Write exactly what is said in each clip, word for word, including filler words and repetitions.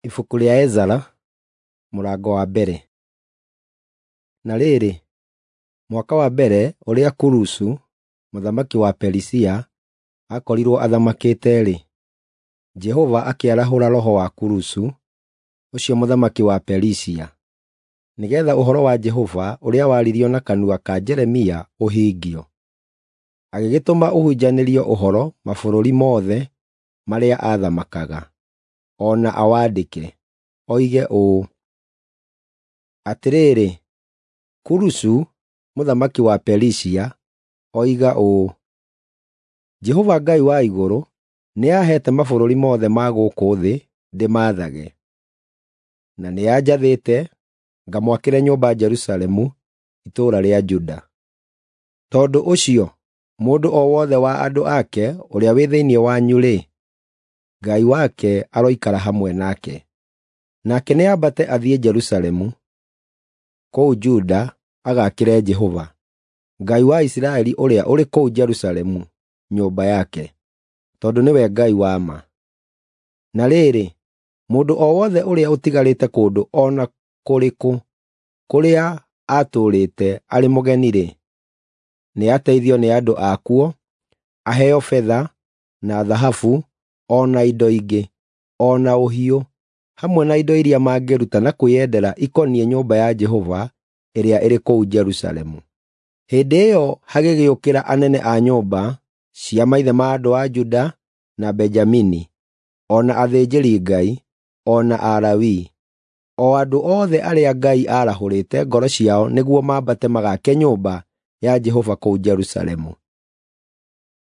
Ibuku rĩa Ezara mũrango wa mbere. Na rĩrĩ, mwaka wa mbere ũrĩa Kurusu mũthamaki wa Perisia aakorirwo athamakĩte-rĩ, Jehova akĩarahũra roho wa Kurusu, ũcio mũthamaki wa Perisia, nĩgeetha ũhoro wa Jehova ũrĩa waririo na kanua ka Jeremia ũhingio. Agĩgĩtũma ũhunjanĩrio ũhoro mabũrũri mothe marĩa aathamakaga, o na awandĩke, oige ũũ: Atĩrĩrĩ, Kurusu mũthamaki wa Perisia oiga ũũ: Jehova Ngai wa igũrũ nĩaheete mabũrũri mothe ma gũkũ thĩ ndĩmathage, na nĩanjathĩte ngamwakĩre nyũmba Jerusalemu, itũũra rĩa Juda. Tondũ ũcio mũndũ o wothe wa andũ ake ũrĩa wĩ thĩinĩ wanyu-rĩ, Ngai wake aroikara hamwe nake. Nake nĩambate athiĩ Jerusalemu, kũu Juda, agaakĩre Jehova, Ngai wa Isiraeli ũrĩa ũrĩ kũu Jerusalemu, nyũmba yake, tondũ nĩwe Ngai wa ma. Na rĩrĩ, mũndũ o wothe ũrĩa ũtigarĩte kũndũ o na kũrĩkũ kũrĩa aatũũrĩte arĩ mũgeni-rĩ, nĩateithio nĩ andũ akuo, aheo betha, na thahabu, o na indo ingĩ, o na ũhiũ, hamwe na indo iria mangĩruta na kwĩyendera ikoniĩ nyũmba ya Jehova ĩrĩa ĩrĩ kũu Jerusalemu. Hĩndĩ ĩyo hagĩgĩũkĩra anene a nyũmba cia maithe ma andũ a Juda na Benjamini, o na athĩnjĩri-Ngai, o na Alawii, o andũ othe arĩa Ngai aarahũrĩte ngoro ciao nĩguo mambate magaake nyũmba ya Jehova kũu Jerusalemu.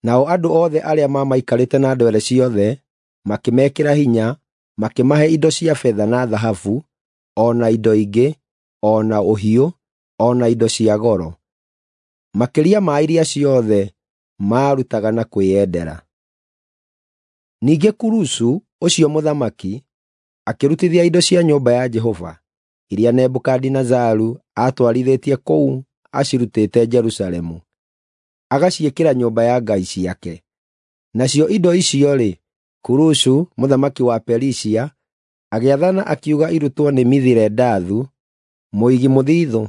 Nao andũ othe arĩa maamaikarĩte na ndwere ciothe makĩmekĩra hinya, makĩmahe indo cia betha na thahabu, o na indo ingĩ, o na ũhiũ, o na indo cia goro, makĩria ma iria ciothe maarutaga na kwĩyendera. Ningĩ Kurusu ũcio mũthamaki akĩrutithia indo cia nyũmba ya Jehova iria Nebukadinezaru aatwarithĩtie kũu acirutĩte Jerusalemu, agaciĩkĩra nyũmba ya ngai ciake. Nacio indo icio-rĩ, Kurusu mũthamaki wa Perisia agĩathana akiuga irutwo nĩ Mithiredathu mũigi mũthithũ,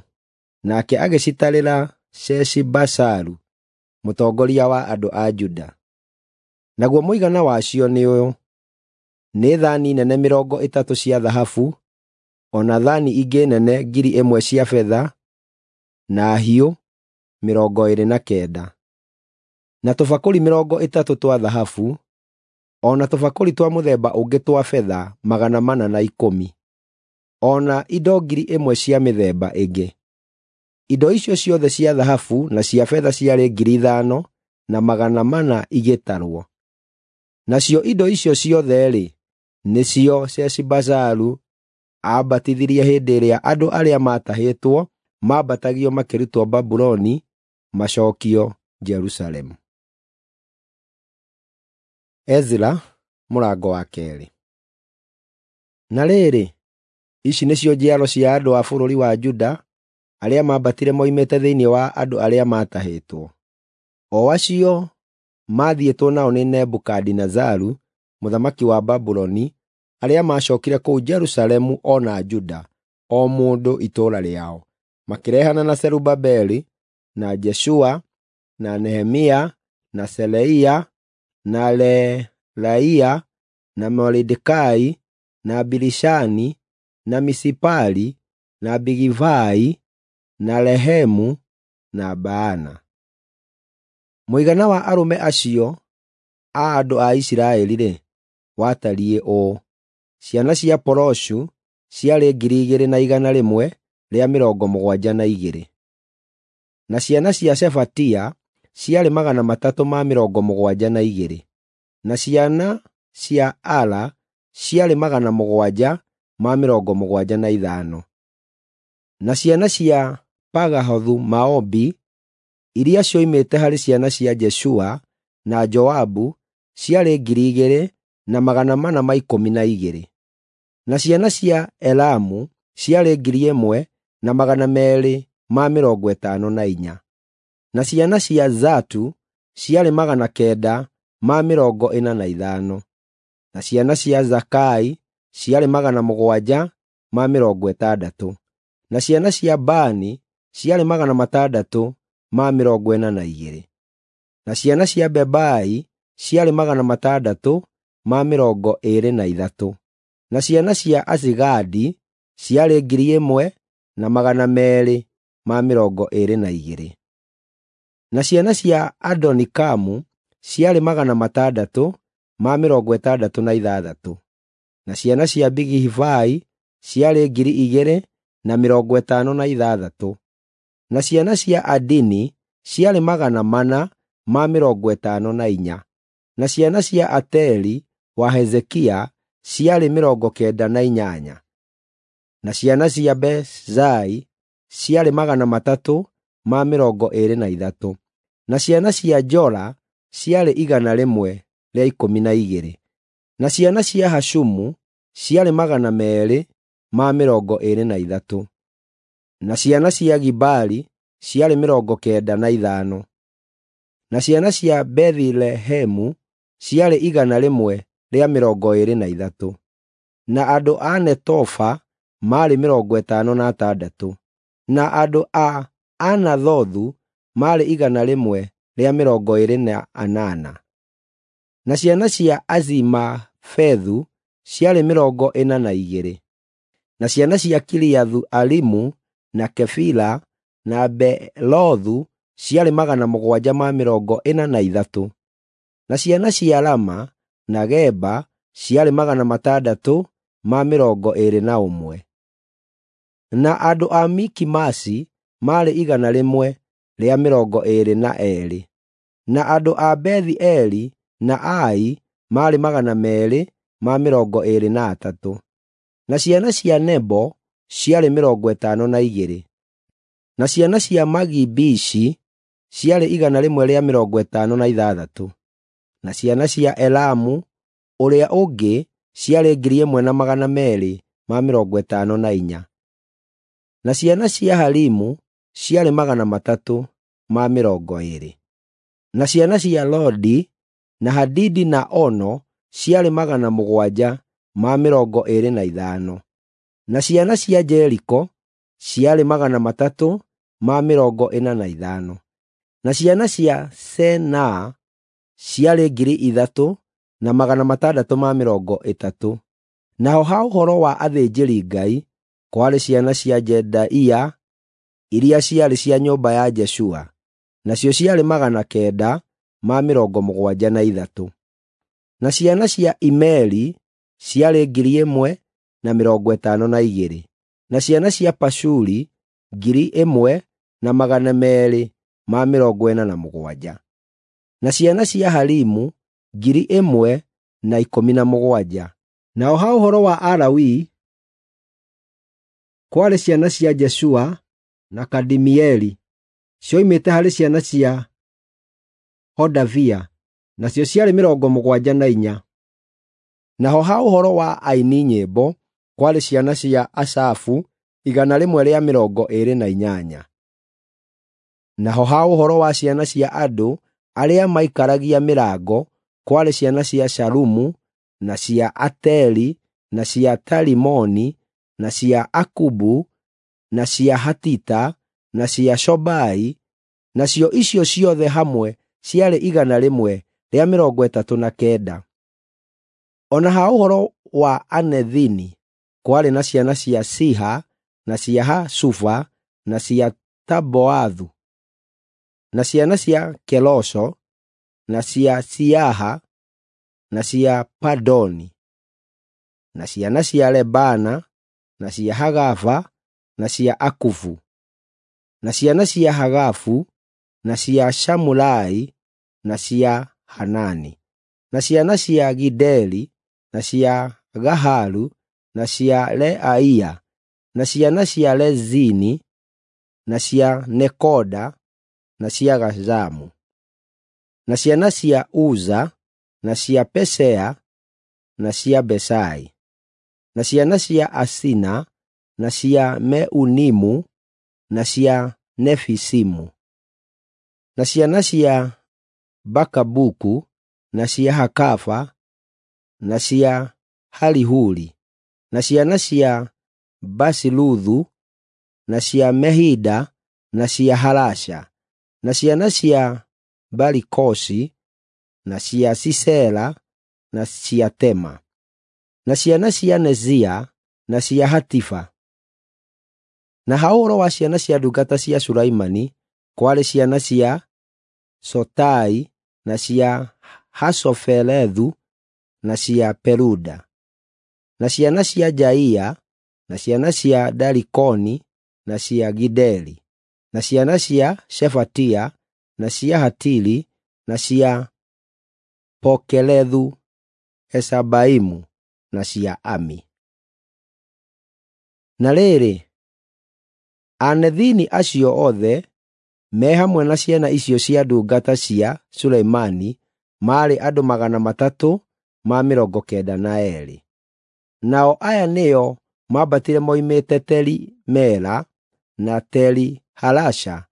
nake agĩcitarĩra Sheshibazaru mũtongoria wa andũ a Juda. Naguo mũigana wacio nĩ ũyũ: nĩ thaani nene mĩrongo ĩtatũ cia thahabu, o na thaani ingĩ nene ngiri ĩmwe cia betha, na hiũ mĩrongo ĩĩrĩ na kenda, na tũbakũri mĩrongo ĩtatũ twa thahabu, o na tũbakũri twa mũthemba ũngĩ twa betha magana mana na ikũmi, o na indo ngiri ĩmwe cia mĩthemba ĩngĩ. Indo icio ciothe cia thahabu na cia betha ciarĩ ngiri ithano na magana mana igĩtarwo. Nacio indo icio ciothe-rĩ, nĩcio Sheshibazaru aambatithirie hĩndĩ ĩrĩa andũ arĩa maatahĩtwo maambatagio makĩrutwo Babuloni macookio Jerusalemu. Ezra mũrango wa keerĩ. Na rĩrĩ, ici nĩcio njiaro cia andũ a bũrũri wa Juda arĩa maambatire moimĩte thĩinĩ wa andũ arĩa maatahĩtwo, o acio maathiĩtwo nao nĩ Nebukadinezaru mũthamaki wa Babuloni, arĩa maacookire kũu Jerusalemu o na Juda, o mũndũ itũũra rĩao, makĩrehana na Zerubabeli, na Jeshua, na Nehemia, na Seraia, na Reelaia, na Moridekai, na Bilishani, na Misipari, na Bigivai, na Rehemu, na Baana. Mũigana wa arũme acio a andũ a Isiraeli-rĩ, watariĩ ũũ: ciana cia Poroshu ciarĩ ngiri igĩrĩ na igana rĩmwe rĩa mĩrongo mũgwanja na igĩrĩ, na ciana cia Shefatia ciarĩ magana matatũ ma mĩrongo mũgwanja na igĩrĩ, na ciana cia Ara ciarĩ magana mũgwanja ma mĩrongo mũgwanja na ithano, na ciana cia Pagahothu-Moabi iria cioimĩte harĩ ciana cia Jeshua na Joabu ciarĩ ngiri igĩrĩ na magana mana ma ikũmi na igĩrĩ, na ciana cia Elamu ciarĩ ngiri ĩmwe na magana meerĩ ma mĩrongo ĩtano na inya, na ciana cia Zatu ciarĩ magana kenda ma mĩrongo ĩna na ithano, na ciana cia Zakai ciarĩ magana mũgwanja ma mĩrongo ĩtandatũ, na ciana cia Bani ciarĩ magana matandatũ ma mĩrongo ĩna na igĩrĩ, na ciana cia Bebai ciarĩ magana matandatũ ma mĩrongo ĩĩrĩ na ithatũ, na ciana cia Azigadi ciarĩ ngiri ĩmwe na magana meerĩ ma mĩrongo ĩĩrĩ na igĩrĩ, na ciana cia Adonikamu ciarĩ magana matandatũ ma mĩrongo ĩtandatũ na ithathatũ, na ciana cia Bigivai ciarĩ ngiri igĩrĩ na mĩrongo ĩtano na ithathatũ, na ciana cia Adini ciarĩ magana mana ma mĩrongo ĩtano na inya, na ciana cia Ateri wa Hezekia ciarĩ mĩrongo kenda na inyanya, na ciana cia Bezai ciarĩ magana matatũ ma mĩrongo ĩĩrĩ na ithatũ, na ciana cia Jora ciarĩ igana rĩmwe rĩa ikũmi na igĩrĩ, na ciana cia Hashumu ciarĩ magana meerĩ ma mĩrongo ĩĩrĩ na ithatũ, na ciana cia Gibari ciarĩ mĩrongo kenda na ithano, na ciana cia Bethilehemu ciarĩ igana rĩmwe rĩa mĩrongo ĩĩrĩ na ithatũ, na andũ a Netofa maarĩ mĩrongo ĩtano na atandatũ, na andũ a Anathothu maarĩ igana rĩmwe rĩa mĩrongo ĩĩrĩ na anana, na ciana cia Azimafethu ciarĩ mĩrongo ĩna na igĩrĩ, na ciana cia Kiriathu-Arimu na Kefira na Beerothu ciarĩ magana mũgwanja ma mĩrongo ĩna na ithatũ, na ciana cia Rama na Geba ciarĩ magana matandatũ ma mĩrongo ĩĩrĩ na ũmwe, na andũ a Mikimasi maarĩ igana rĩmwe rĩa mĩrongo ĩĩrĩ na eerĩ, na andũ a Bethi-Eli na Ai maarĩ magana meerĩ ma mĩrongo ĩĩrĩ na atatũ, na ciana cia Nebo ciarĩ mĩrongo ĩtano na igĩrĩ, na ciana cia Magibishi ciarĩ igana rĩmwe rĩa mĩrongo ĩtano na ithathatũ, na ciana cia Elamu ũrĩa ũngĩ ciarĩ ngiri ĩmwe na magana meerĩ ma mĩrongo ĩtano na inya, na ciana cia Harimu ciarĩ magana matatũ ma mĩrongo ĩĩrĩ, na ciana cia Lodi na Hadidi na Ono ciarĩ magana mũgwanja ma mĩrongo ĩĩrĩ na ithano, na ciana cia Jeriko ciarĩ magana matatũ ma mĩrongo ĩna na ithano, na ciana cia Senaa ciarĩ ngiri ithatũ na magana matandatũ ma mĩrongo ĩtatũ. Naho ha ũhoro wa athĩnjĩri-Ngai, kwarĩ ciana cia Jedaia iria ciarĩ cia nyũmba ya Jeshua, nacio ciarĩ magana kenda ma mĩrongo mũgwanja na ithatũ, na ciana cia Imeri ciarĩ ngiri ĩmwe na mĩrongo ĩtano na igĩrĩ, na ciana cia Pashuri ngiri ĩmwe na magana meerĩ ma mĩrongo ĩna na mũgwanja, na ciana cia Harimu ngiri ĩmwe na ikũmi na mũgwanja. Naho ha ũhoro wa Alawii, kwarĩ ciana cia Jeshua na Kadimieli cioimĩte harĩ ciana cia Hodavia, nacio ciarĩ mĩrongo mũgwanja na inya. Naho ha ũhoro wa aini nyĩmbo, kwarĩ ciana cia Asafu igana rĩmwe rĩa mĩrongo ĩĩrĩ na inyanya. Naho ha ũhoro wa ciana cia andũ arĩa maikaragia mĩrango, kwarĩ ciana cia Shalumu na cia Ateri na cia Talimoni na cia Akubu na cia Hatita na cia Shobai, nacio icio ciothe hamwe ciarĩ igana rĩmwe rĩa mĩrongo ĩtatũ na kenda. O na ha ũhoro wa Anethini, kwarĩ na ciana cia Siha na cia Hasufa na cia Taboathu, na ciana cia Kelosho na cia Siaha na cia Padoni, na ciana cia Lebana na cia Hagava na cia Akuvu, na ciana cia Hagafu na cia Shamulai na cia Hanani, na ciana cia Gideli na cia Gaharu na cia Reaia, na ciana cia Rezini na cia Nekoda na cia Gazamu, na ciana cia Uza na cia Pesea na cia Besai, na ciana cia Asina na cia Meunimu na cia Nefisimu, na ciana cia Bakabuku na cia Hakafa na cia Harihuri, na ciana cia Basiluthu, na cia Mehida, na cia Harasha, na ciana cia Barikosi, na cia Sisera, na cia Tema, na ciana cia Nezia, na cia Hatifa. Na ha ũhoro wa ciana cia ndungata cia Sulaimani, kwarĩ ciana cia Sotai, na cia Hasoferethu, na cia Peruda, na ciana cia Jaia, na ciana cia Darikoni, na cia Gideli, na ciana cia Shefatia, na cia Hatili, na cia Pokerethu Hesabaimu, na cia Ami. Na rĩrĩ, Anethini acio othe me hamwe na ciana icio cia ndungata cia Suleimani maarĩ andũ magana matatũ ma mĩrongo kenda na eerĩ. Nao aya nĩo mambatire moimĩte Teli-Mela na Teli-Halasha,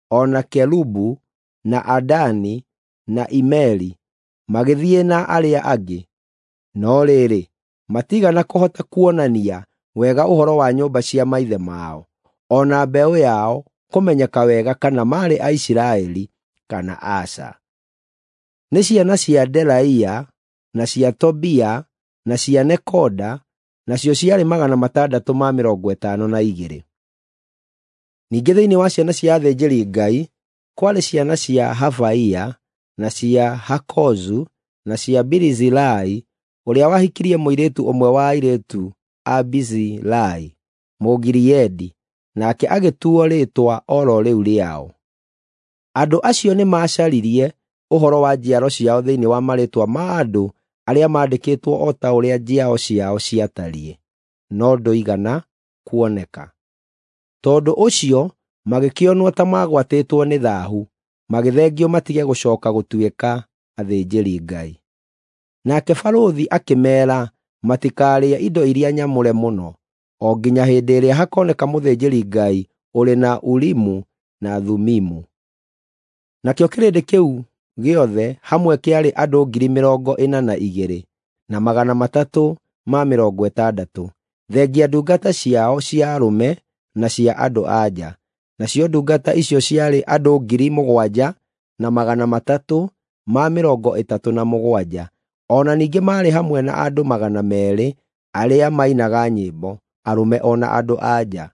o na Kerubu na Adani na Imeri, magĩthiĩ na arĩa angĩ. No rĩrĩ, matiigana kũhota kuonania wega ũhoro wa nyũmba cia maithe mao, o na mbeũ yao kũmenyeka wega kana maarĩ Aisiraeli kana aca. Nĩ ciana cia Delaia na cia Tobia na cia Nekoda, nacio ciarĩ magana matandatũ ma mĩrongo ĩtano na igĩrĩ. Ningĩ thĩinĩ wa ciana cia athĩnjĩri-Ngai kwarĩ ciana cia Habaia na cia Hakozu na cia Barizilai, ũrĩa wahikirie mũirĩtu ũmwe wa airĩtu a Barizilai Mũgileadi, nake agĩtuo rĩĩtwa o ro rĩu rĩao. Andũ acio nĩmacaririe ũhoro wa njiaro ciao thĩinĩ wa marĩĩtwa ma andũ arĩa maandĩkĩtwo o ta ũrĩa njiaro ciao ciatariĩ, no ndũigana kuoneka. Tondũ ũcio magĩkĩonwo ta magwatĩtwo nĩ thaahu, magĩthengio matige gũcooka gũtuĩka athĩnjĩri-Ngai. Nake barũthi akĩmeera matikarĩe indo iria nyamũre mũno, o nginya hĩndĩ ĩrĩa hakoneka mũthĩnjĩri-Ngai ũrĩ na Urimu na Thumimu. Nakĩo kĩrĩndĩ kĩu gĩothe hamwe kĩarĩ andũ ngiri mĩrongo ĩna na igĩrĩ na magana matatũ ma mĩrongo ĩtandatũ, thengia ndungata ciao cia arũme na cia andũ-a-nja. Nacio ndungata icio ciarĩ andũ ngiri mũgwanja na magana matatũ ma mĩrongo ĩtatũ na mũgwanja. O na ningĩ maarĩ hamwe na andũ magana meerĩ arĩa mainaga nyĩmbo, arũme o na andũ-a-nja.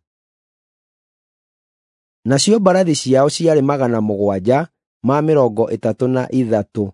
Nacio mbarathi ciao ciarĩ magana mũgwanja ma mĩrongo ĩtatũ na ithatũ,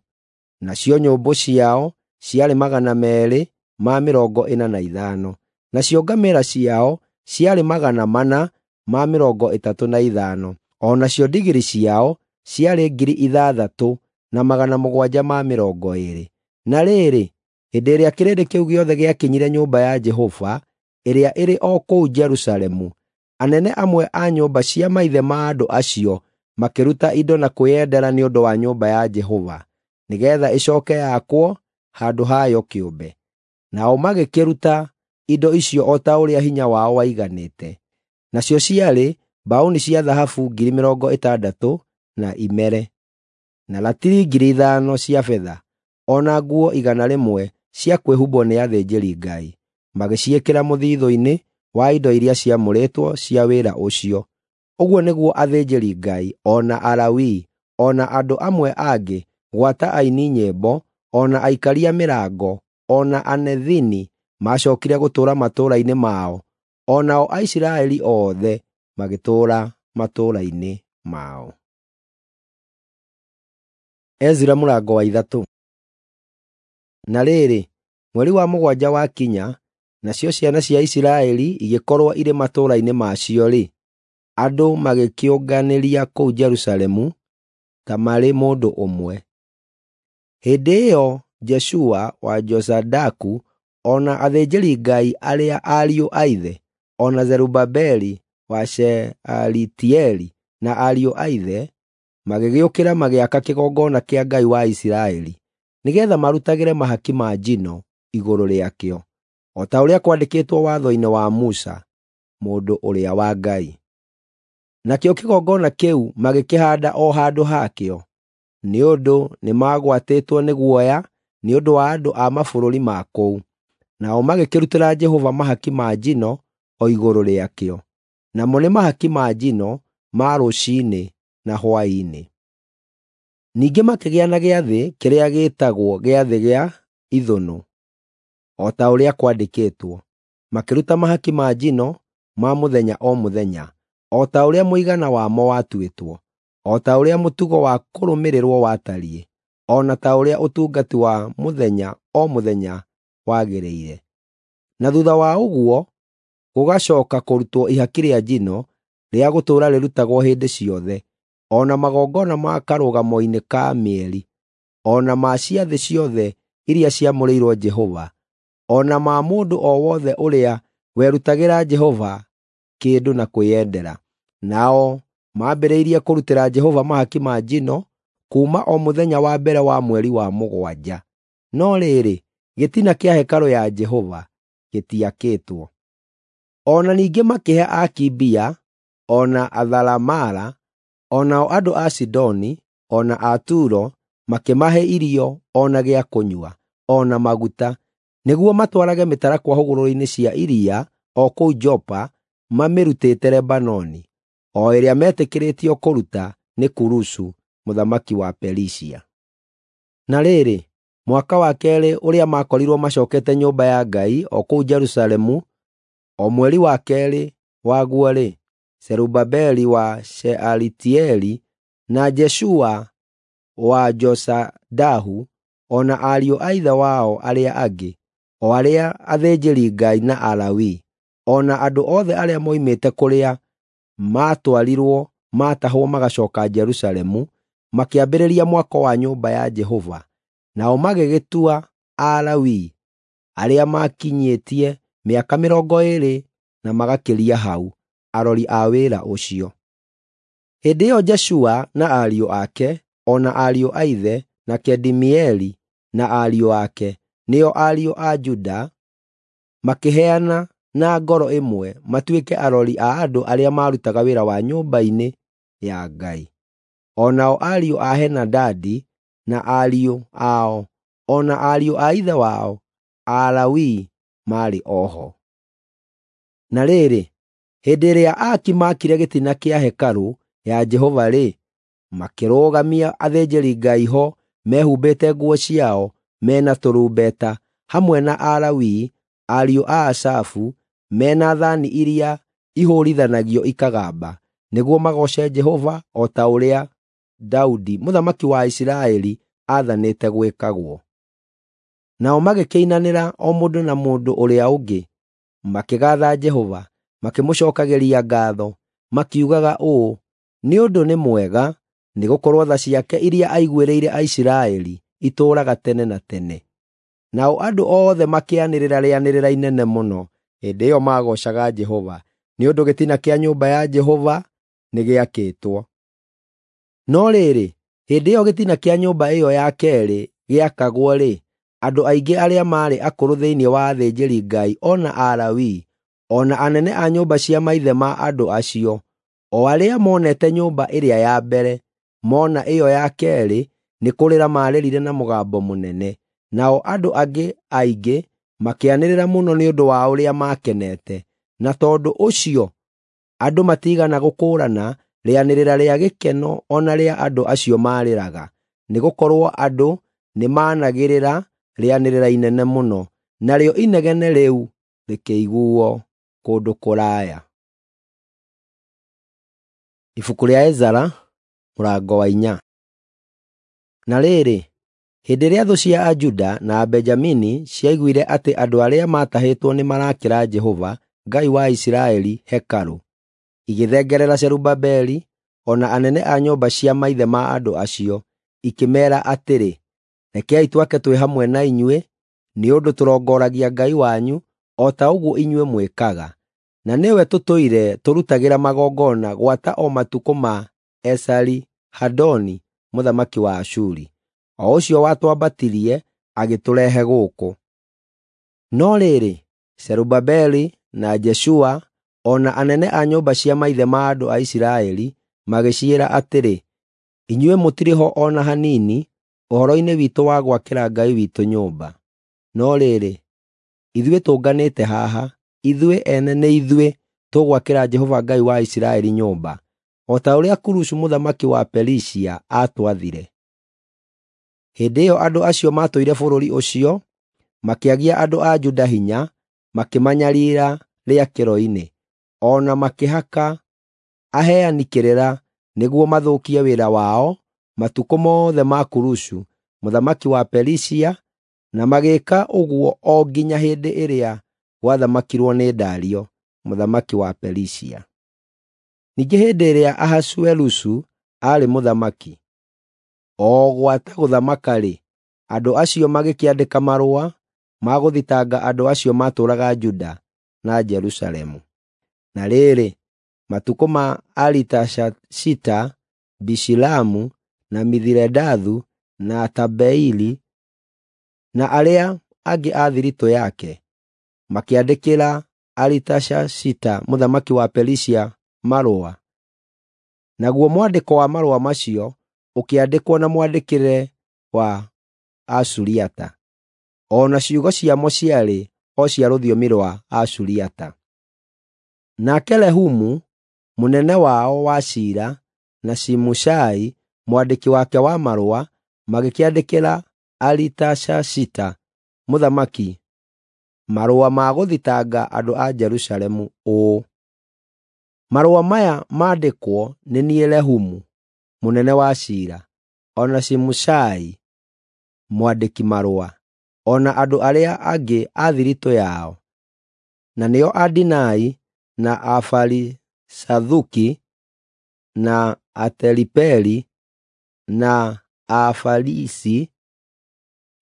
nacio nyũmbũ ciao ciarĩ magana meerĩ ma mĩrongo ĩna na ithano, nacio ngamĩĩra ciao ciarĩ magana mana ma mĩrongo ĩtatũ na ithano, o nacio ndigiri ciao ciarĩ ngiri ithathatũ na magana mũgwanja ma mĩrongo ĩĩrĩ. Na rĩrĩ, hĩndĩ ĩrĩa kĩrĩndĩ kĩu gĩothe gĩakinyire nyũmba ya Jehova ĩrĩa ĩrĩ o kũu Jerusalemu, anene amwe a nyũmba cia maithe ma andũ acio makĩruta indo na kwĩyendera nĩ ũndũ wa nyũmba ya Jehova, nĩgeetha ĩcooke yakwo handũ hayo kĩũmbe. Nao magĩkĩruta indo icio o ta ũrĩa hinya wao waiganĩte. Nacio ciarĩ mbaũni cia thahabu ngiri mĩrongo ĩtandatũ na imere, na ratiri ngiri ithano cia betha, o na nguo igana rĩmwe cia kwĩhumbwo nĩ athĩnjĩri-Ngai, magĩciĩkĩra mũthithũ-inĩ wa indo iria ciamũrĩtwo cia wĩra ũcio. Ũguo nĩguo athĩnjĩri-Ngai, o na Alawii, o na andũ amwe angĩ, gwata aini nyĩmbo, o na aikaria mĩrango, o na Anethini macookire gũtũũra matũũra-inĩ mao, o nao Aisiraeli othe magĩtũũra matũũra-inĩ mao. Ezira mũrango wa ithatũ. Na rĩrĩ, mweri wa mũgwanja wakinya, nacio ciana cia Isiraeli igĩkorwo irĩ matũũra-inĩ macio-rĩ, andũ magĩkĩũnganĩria kũu Jerusalemu ta marĩ mũndũ ũmwe. Hĩndĩ ĩyo Jeshua wa Jozadaku o na athĩnjĩri-Ngai arĩa ariũ a ithe, o na Zerubabeli wa Shealitieli na ariũ a ithe, magĩgĩũkĩra magĩaka kĩgongona kĩa Ngai wa Isiraeli, nĩgeetha marutagĩre mahaki ma njino igũrũ rĩakĩo, o ta ũrĩa kwandĩkĩtwo watho-inĩ wa Musa, mũndũ ũrĩa wa Ngai. Nakĩo kĩgongona kĩu magĩkĩhaanda o handũ hakĩo, nĩ ũndũ nĩmagwatĩtwo nĩ guoya nĩ ũndũ wa andũ a mabũrũri ma kũu, Nao magĩkĩrutĩra Jehova mahaki ma njino o igũrũ rĩakĩo, namo nĩ mahaki ma njino ma rũciinĩ na hwaĩ-inĩ. Ningĩ makĩgĩa na gĩathĩ kĩrĩa gĩĩtagwo Gĩathĩ gĩa Ithũnũ, o ta ũrĩa kwandĩkĩtwo. Makĩruta mahaki ma njino ma mũthenya o mũthenya, o ta ũrĩa mũigana wamo watuĩtwo, o ta ũrĩa mũtugo wa kũrũmĩrĩrwo watariĩ, o na ta ũrĩa ũtungati wa mũthenya o mũthenya wagĩrĩire. Na thuutha wa ũguo gũgacooka kũrutwo ihaki rĩa njino rĩa gũtũũra rĩrutagwo hĩndĩ ciothe, o na magongona ma karũgamo-inĩ ka mĩeri, o na ma ciathĩ ciothe iria ciamũrĩirwo Jehova, o na ma mũndũ o wothe ũrĩa werutagĩra Jehova kĩndũ na kwĩyendera. Nao maambĩrĩirie kũrutĩra Jehova mahaki ma njino kuuma o mũthenya wa mbere wa mweri wa mũgwanja. No rĩrĩ, gĩtina kĩa hekarũ ya Jehova gĩtiakĩtwo. O na ningĩ makĩhe aaki mbia, o na atharamara, o nao andũ a Sidoni, o na a Turo, makĩmahe irio o na gĩa kũnyua, o na maguta, nĩguo matwarage mĩtarakwa hũgũrũrũ-inĩ cia iria o kũu Jopa mamĩrutĩte Lebanoni, o ĩrĩa metĩkĩrĩtio kũruta nĩ Kurusu mũthamaki wa Perisia. Na rĩrĩ, mwaka wa keerĩ ũrĩa maakorirwo macookete nyũmba ya Ngai o kũu Jerusalemu, o mweri wa keerĩ waguo-rĩ, Zerubabeli wa Shealitieli na Jeshua wa Jozadahu o na ariũ a ithe wao arĩa angĩ, o arĩa athĩnjĩri-Ngai na Alawii, o na andũ othe arĩa moimĩte kũrĩa maatwarirwo maatahwo magacooka Jerusalemu, makĩambĩrĩria mwako wa nyũmba ya Jehova. Nao magĩgĩtua Alawii arĩa maakinyĩtie mĩaka mĩrongo ĩĩrĩ na magakĩria hau arori a wĩra ũcio. Hĩndĩ ĩyo Jeshua na ariũ ake, o na ariũ a ithe, na Kadimieli na ariũ ake, nĩo ariũ a Juda, makĩheana na ngoro ĩmwe matuĩke arori a andũ arĩa maarutaga wĩra wa nyũmba-inĩ ya Ngai. O nao ariũ a Henadadi na ariũ ao, o na ariũ a ithe wao, Alawii, maarĩ o ho. Na rĩrĩ, hĩndĩ ĩrĩa aaki maakire gĩtina kĩa hekarũ ya Jehova-rĩ, makĩrũgamia athĩnjĩri-Ngai ho mehumbĩte nguo ciao me na tũrumbeta, hamwe na Alawii, ariũ a Asafu, me na thaani iria ihũũrithanagio ikagamba, nĩguo magooce Jehova o ta ũrĩa Daudi mũthamaki wa Isiraeli aathanĩte gwĩkagwo. Nao magĩkĩinanĩra o mũndũ na mũndũ ũrĩa ũngĩ, makĩgaatha Jehova, makĩmũcookagĩria ngaatho, makiugaga ũũ, “Nĩ ũndũ nĩ mwega, nĩgũkorwo tha ciake iria aiguĩrĩire Aisiraeli itũũraga tene na tene.” Nao andũ othe makĩanĩrĩra rĩanĩrĩra inene mũno hĩndĩ ĩyo maagoocaga Jehova, nĩ ũndũ gĩtina kĩa nyũmba ya Jehova nĩgĩakĩtwo. No rĩrĩ, hĩndĩ ĩyo gĩtina kĩa nyũmba ĩyo ya keerĩ gĩakagwo-rĩ, andũ aingĩ arĩa maarĩ akũrũ thĩinĩ wa athĩnjĩri-Ngai o na Alawii, o na anene a nyũmba cia maithe ma andũ acio, o arĩa monete nyũmba ĩrĩa ya mbere, mona ĩyo ya keerĩ, nĩ kũrĩra maarĩrire na mũgambo mũnene. Nao andũ angĩ aingĩ makĩanĩrĩra mũno nĩ ũndũ wa ũrĩa maakenete, na tondũ ũcio andũ matiigana gũkũũrana rĩanĩrĩra rĩa gĩkeno o na rĩa andũ acio maarĩraga, nĩgũkorwo andũ nĩmanagĩrĩra rĩanĩrĩra inene mũno, narĩo inegene rĩu rĩkĩiguuo kũndũ kũraya. Ibuku rĩa Ezara mũrango wa inya. Na rĩrĩ, hĩndĩ ĩrĩa thũ cia Ajuda na Abenjamini ciaiguire atĩ andũ arĩa maatahĩtwo nĩmarakĩra Jehova, Ngai wa Isiraeli, hekarũ, igĩthengerera Zerubabeli o na anene a nyũmba cia maithe ma andũ acio, ikĩmeera atĩrĩ, “Rekei twake twĩ hamwe na inyuĩ, nĩ ũndũ tũrongoragia Ngai wanyu o ta ũguo inyuĩ mwĩkaga, na nĩwe tũtũire tũrutagĩra magongona gwata o matukũ ma Esari-Hadoni mũthamaki wa Ashuri, o ũcio watwambatirie agĩtũrehe gũkũ.” No rĩrĩ, Zerubabeli na Jeshua o na anene a nyũmba cia maithe ma andũ a Isiraeli magĩciĩra atĩrĩ, “Inyuĩ mũtirĩ ho o na hanini ũhoro-inĩ witũ wa gwakĩra Ngai witũ nyũmba. No rĩrĩ, Ithuĩ tũnganĩte haha, ithuĩ ene nĩ ithuĩ tũgwakĩra Jehova Ngai wa Isiraeli nyũmba, o ta ũrĩa Kurusu mũthamaki wa Perisia aatwathire. Hĩndĩ ĩyo andũ acio maatũire bũrũri ũcio makĩagia andũ a Juda hinya, makĩmanyariira rĩakĩro-inĩ, o na makĩhaka aheani kĩrĩra nĩguo mathũkie wĩra wao matukũ mothe ma Kurusu mũthamaki wa Perisia, na magĩĩka ũguo o nginya hĩndĩ ĩrĩa gwathamakirwo nĩ Dario mũthamaki wa Perisia. Ningĩ hĩndĩ ĩrĩa Ahasuerusu aarĩ mũthamaki, o gwata gũthamaka-rĩ, andũ acio magĩkĩandĩka marũa ma gũthitanga andũ acio maatũũraga Juda na Jerusalemu. Na rĩrĩ, matukũ ma Aritashashita, Bishilamu, na Mithiredathu, na Tabeili, na arĩa angĩ a thiritũ yake, makĩandĩkĩra Aritashashita mũthamaki wa Perisia marũa. Naguo mwandĩko wa marũa macio ũkĩandĩkwo na mwandĩkĩre wa Asuriata, o na ciugo ciamo ciarĩ o cia rũthiomi rwa Asuriata. Nake Rehumu mũnene wao wa ciira na Shimushai mwandĩki wake wa marũa magĩkĩandĩkĩra Aritashashita mũthamaki marũa ma gũthitanga andũ a Jerusalemu ũũ: Marũa maya maandĩkwo nĩ niĩ Rehumu mũnene wa ciira, o na Shimushai mwandĩki marũa, o na andũ arĩa angĩ a thiritũ yao, na nĩo Adinai na Afarisathuki na Ateripeli na Afarisi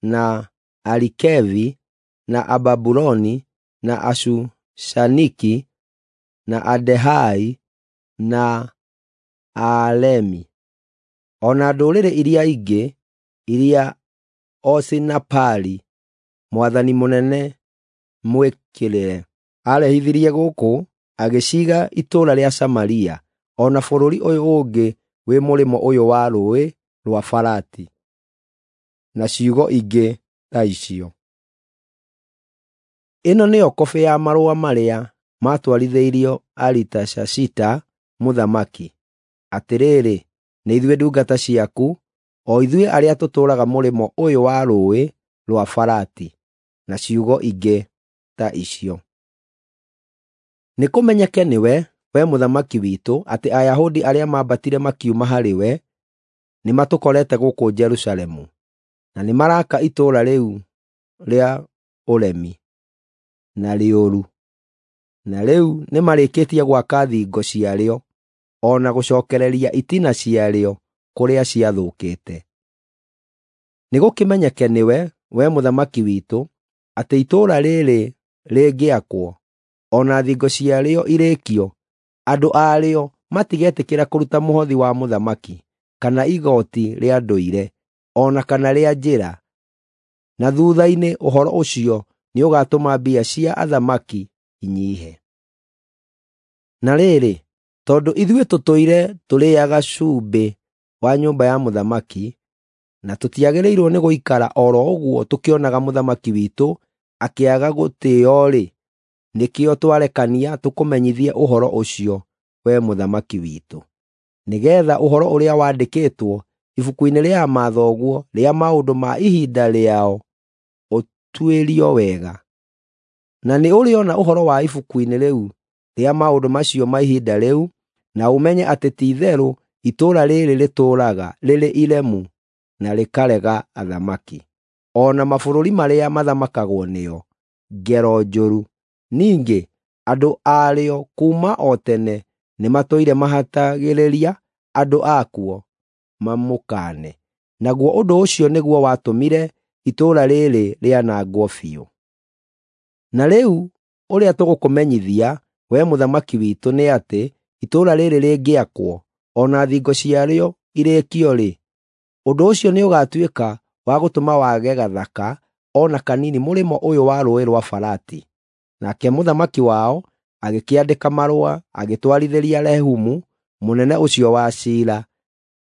na Arikevi na Ababuloni na Ashushaniki na Adehai na Aalemi, o na ndũrĩrĩ iria ingĩ iria Osinapari mwathani mũnene mwĩkĩrĩre arehithirie gũkũ agĩciiga itũũra rĩa Samaria o na bũrũri ũyũ ũngĩ wĩ mũrĩmo ũyũ wa Rũũĩ rwa Farati, na ciugo ingĩ ta icio. Ĩno nĩyo kobĩ ya marũa marĩa maatwarithĩirio Aritashashita mũthamaki. Atĩrĩrĩ, nĩ ithuĩ ndungata ciaku, o ithuĩ arĩa tũtũũraga mũrĩmo ũyũ wa Rũũĩ rwa Farati, na ciugo ingĩ ta icio. Nĩkũmenyeke nĩwe, we mũthamaki witũ, atĩ Ayahudi arĩa maambatire makiuma harĩwe nĩmatũkorete gũkũ Jerusalemu, na nĩmaraka itũũra rĩu rĩa ũremi na rĩũru, na rĩu nĩmarĩkĩtie gwaka thingo ciarĩo o na gũcookereria itina ciarĩo kũrĩa ciathũkĩte. Nĩgũkĩmenyeke nĩwe, we mũthamaki witũ, atĩ itũũra rĩrĩ rĩngĩakwo o na thingo ciarĩo irĩkio, andũ arĩo matigetĩkĩra kũruta mũhothi wa mũthamaki kana igooti rĩa ndũire o na kana rĩa njĩra, na thuutha-inĩ ũhoro ũcio nĩũgatũma mbia cia athamaki inyiihe. Na rĩrĩ, tondũ ithuĩ tũtũire tũrĩĩaga cumbĩ wa nyũmba ya mũthamaki, na tũtiagĩrĩirwo nĩ gũikara o ro ũguo tũkĩonaga mũthamaki witũ akĩaga gũtĩĩo-rĩ, nĩkĩo twarekania tũkũmenyithie ũhoro ũcio, we mũthamaki witũ, nĩgeetha ũhoro ũrĩa wandĩkĩtwo ibuku-inĩ rĩa mathoguo rĩa maũndũ ma ihinda rĩao ũtuĩrio wega. Na nĩ ũrĩona ũhoro wa ibuku-inĩ rĩu rĩa maũndũ macio ma ihinda rĩu, na ũmenye atĩ ti-itherũ itũũra rĩrĩ rĩtũũraga rĩrĩ iremu na rĩkarega athamaki, o na mabũrũri marĩa mathamakagwo nĩo, ngero njũru. Ningĩ andũ arĩo kuuma o tene nĩmatũire mahatagĩrĩria andũ akuo mamũkaane, naguo ũndũ ũcio nĩguo watũmire itũũra rĩrĩ rĩanangwo biũ. Na rĩu ũrĩa tũgũkũmenyithia, we mũthamaki witũ, nĩ atĩ itũũra rĩrĩ rĩngĩakwo o na thingo ciarĩo irĩkio-rĩ, ũndũ ũcio nĩũgatuĩka wa gũtũma wage gathaka o na kanini mũrĩmo ũyũ wa Rũũĩ rwa Farati. Nake mũthamaki wao agĩkĩandĩka marũa agĩtwarithĩria Rehumu mũnene ũcio wa ciira,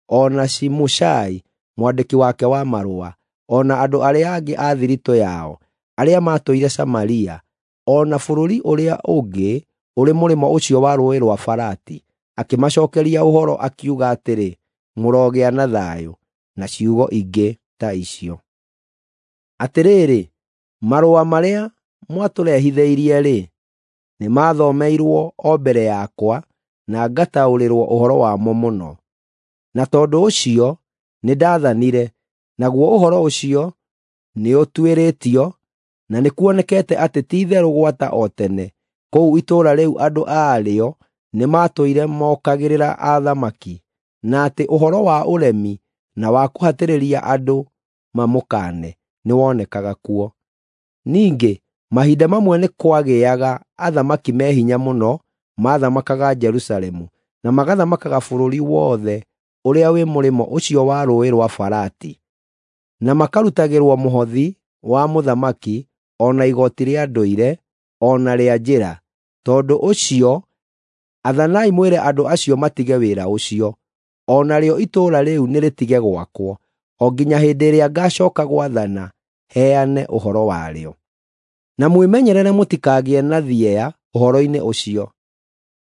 o na Shimushai mwandĩki wake wa marũa, o na andũ arĩa angĩ a thiritũ yao, arĩa maatũire Samaria, o na bũrũri ũrĩa ũngĩ ũrĩ mũrĩmo ũcio wa Rũũĩ rwa Farati, akĩmacookeria ũhoro akiuga atĩrĩ, “Mũrogĩa na thayũ,” na ciugo ingĩ ta icio. Atĩrĩrĩ, marũa marĩa mwatũrehithĩirie-rĩ, nĩmathomeirwo o mbere yakwa na ngataũrĩrwo ũhoro wamo mũno. Na tondũ ũcio nĩndathanire, naguo ũhoro ũcio nĩũtuĩrĩtio, na nĩkuonekete atĩ ti-itherũ gwata o tene, kũu itũũra rĩu andũ aarĩo nĩmatũire mokagĩrĩra athamaki, na atĩ ũhoro wa ũremi na wa kũhatĩrĩria andũ mamũkaane nĩwonekaga kuo. Ningĩ mahinda mamwe nĩ kwagĩaga athamaki me hinya mũno maathamakaga Jerusalemu, na magathamakaga bũrũri wothe ũrĩa wĩ mũrĩmo ũcio wa Rũũĩ rwa Farati, na makarutagĩrwo mũhothi wa mũthamaki o na igooti rĩa ndũire o na rĩa njĩra. Tondũ ũcio athanai mwĩre andũ acio matige wĩra ũcio, o narĩo itũũra rĩu nĩrĩtige gwakwo, o nginya hĩndĩ ĩrĩa ngaacooka gwathana heane ũhoro warĩo. Na mwĩmenyerere mũtikagĩe na thieya ũhoro-inĩ ũcio.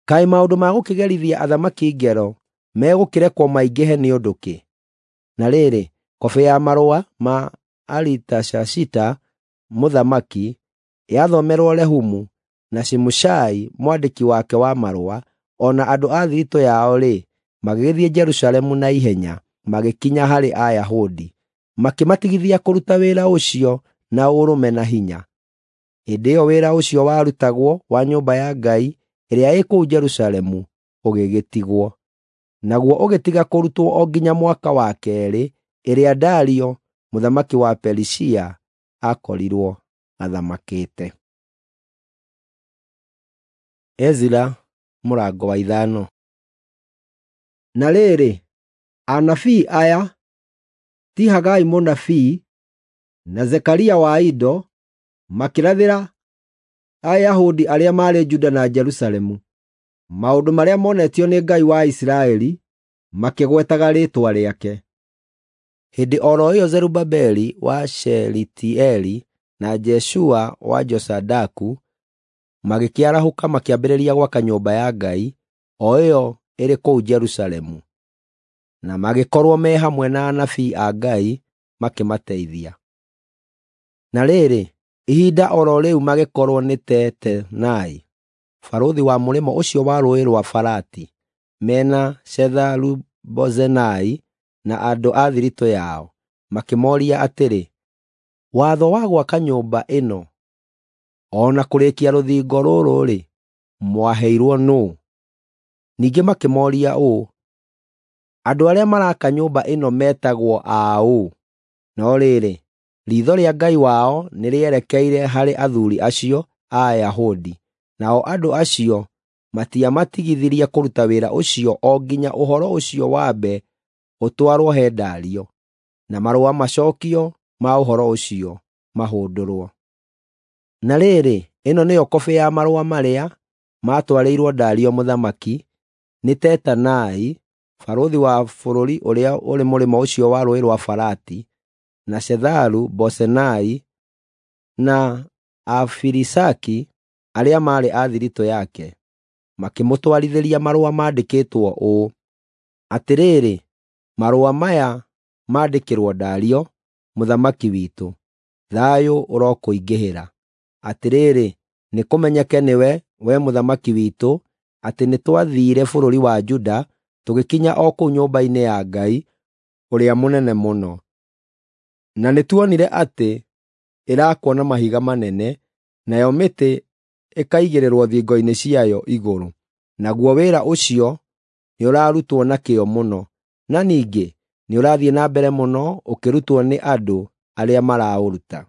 Kaĩ maũndũ ma gũkĩgerithia athamaki ngero megũkĩrekwo maingĩhe nĩ ũndũ kĩ? Na rĩrĩ, kobĩ ya marũa ma Aritashashita mũthamaki yathomerwo Rehumu na Shimushai mwandĩki wake wa marũa, o na andũ a thiritũ yao-rĩ, magĩgĩthiĩ Jerusalemu na ihenya, magĩkinya harĩ Ayahudi, makĩmatigithia kũruta wĩra ũcio na ũrũme na hinya. Hĩndĩ ĩyo wĩra ũcio warutagwo wa nyũmba ya Ngai ĩrĩa ĩ kũu Jerusalemu ũgĩgĩtigwo. Naguo ũgĩtiga kũrutwo o nginya mwaka wa keerĩ ĩrĩa Dario mũthamaki wa Perisia aakorirwo athamakĩte. Ezira mũrango wa ithano. Na rĩrĩ, anabii aya, ti Hagai mũnabii na Zekaria wa Ido, makĩrathĩra Ayahudi arĩa maarĩ Juda na Jerusalemu maũndũ marĩa monetio nĩ Ngai wa Isiraeli, makĩgwetaga rĩĩtwa rĩake. Hĩndĩ o ro ĩyo Zerubabeli wa Shealitieli na Jeshua wa Jozadaku magĩkĩarahũka makĩambĩrĩria gwaka nyũmba ya Ngai, o ĩyo ĩrĩ kũu Jerusalemu, na magĩkorwo me hamwe na anabii a Ngai makĩmateithia. Na rĩrĩ, ihinda o ro rĩu magĩkorwo nĩ Tetenai, barũthi wa mũrĩmo ũcio wa Rũũĩ rwa Farati, mena Shetharu-Bozenai na andũ a thiritũ yao, makĩmooria atĩrĩ, “Watho wa gwaka nyũmba ĩno o na kũrĩkia rũthingo rũrũ-rĩ, mwaheirwo nũũ?” Ningĩ makĩmooria ũũ, “Andũ arĩa maraaka nyũmba ĩno metagwo a ũ?” No rĩrĩ, riitho rĩa Ngai wao nĩrĩerekeire harĩ athuuri acio a Ayahudi, nao andũ acio matiamatigithirie kũruta wĩra ũcio o nginya ũhoro ũcio wambe ũtwarwo he Dario, na marũa macookio ma ũhoro ũcio mahũndũrwo. Na rĩrĩ, ĩno nĩyo kobĩ ya marũa marĩa maatwarĩirwo Dario mũthamaki nĩ Tetanai, barũthi wa bũrũri ũrĩa ũrĩ mũrĩmo ũcio wa Rũũĩ rwa Farati, na Shetharu-Bozenai na Afirisaki arĩa maarĩ a thiritũ yake, makĩmũtwarithĩria marũa maandĩkĩtwo ũũ: Atĩrĩrĩ, marũa maya maandĩkĩrwo Dario, mũthamaki witũ. Thayũ ũrokũingĩhĩra. Atĩrĩrĩ, nĩkũmenyeke nĩwe, we mũthamaki witũ, atĩ nĩtwathiire bũrũri wa Juda, tũgĩkinya o kũu nyũmba-inĩ ya Ngai ũrĩa mũnene mũno. Na nĩtuonire atĩ ĩraakwo na mahiga manene, nayo mĩtĩ ĩkaigĩrĩrwo thingo-inĩ ciayo igũrũ. Naguo wĩra ũcio nĩũrarutwo na kĩyo mũno, na ningĩ nĩũrathiĩ na mbere mũno ũkĩrutwo nĩ andũ arĩa maraũruta.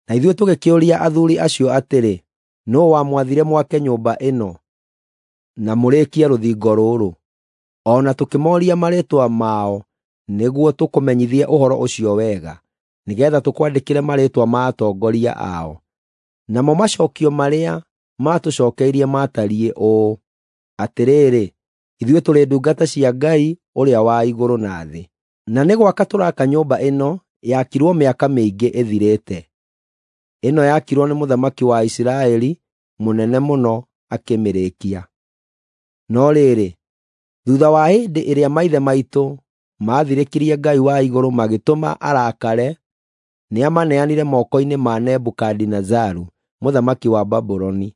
Na ithuĩ tũgĩkĩũria athuuri acio atĩrĩ, “Nũũ wamwathire mwake nyũmba ĩno na mũrĩkie rũthingo rũrũ?” O na tũkĩmooria marĩĩtwa mao nĩguo tũkũmenyithie ũhoro ũcio wega, nĩgeetha tũkwandĩkĩre marĩĩtwa ma atongoria ao. Namo macookio marĩa maatũcookeirie maatariĩ ũũ: Atĩrĩrĩ, ithuĩ tũrĩ ndungata cia Ngai ũrĩa wa igũrũ na thĩ, na nĩ gwaka tũraaka nyũmba ĩno yakirwo mĩaka mĩingĩ ĩthirĩte. Ĩno yakirwo nĩ mũthamaki wa Isiraeli mũnene mũno akĩmĩrĩkia. No rĩrĩ, thuutha wa hĩndĩ ĩrĩa maithe maitũ maathirĩkirie Ngai wa igũrũ magĩtũma arakare, nĩamaneanire moko-inĩ ma Nebukadinezaru mũthamaki wa Babuloni,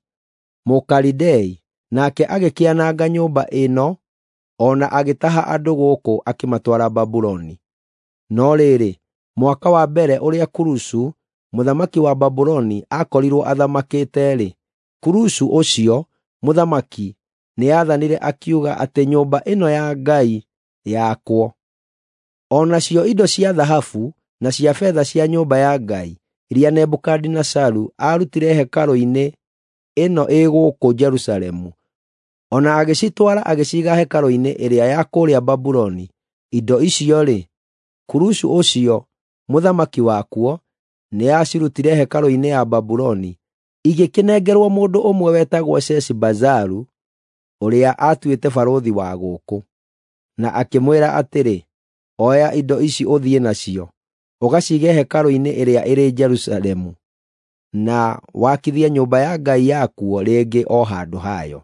Mũkalidei, nake agĩkĩananga nyũmba ĩno o na agĩtaha andũ gũkũ akĩmatwara Babuloni. No rĩrĩ, mwaka wa mbere ũrĩa Kurusu mũthamaki wa Babuloni aakorirwo athamakĩte-rĩ, Kurusu ũcio mũthamaki nĩathanire akiuga atĩ nyũmba ĩno ya Ngai yakwo. O nacio indo cia thahabu na cia betha cia nyũmba ya Ngai iria Nebukadinezaru aarutire hekarũ-inĩ ĩno ĩ gũkũ Jerusalemu, o na agĩcitwara agĩciiga hekarũ-inĩ ĩrĩa ya kũrĩa Babuloni. Indo icio-rĩ, Kurusu ũcio mũthamaki wakuo nĩacirutire hekarũ-inĩ ya Babuloni, igĩkĩnengerwo mũndũ ũmwe wetagwo Sheshibazaru, ũrĩa aatuĩte barũthi wa gũkũ, na akĩmwĩra atĩrĩ, “Oya indo ici ũthiĩ nacio, ũgaciige hekarũ-inĩ ĩrĩa ĩrĩ Jerusalemu, na wakithie nyũmba ya Ngai yakuo rĩngĩ o handũ hayo.”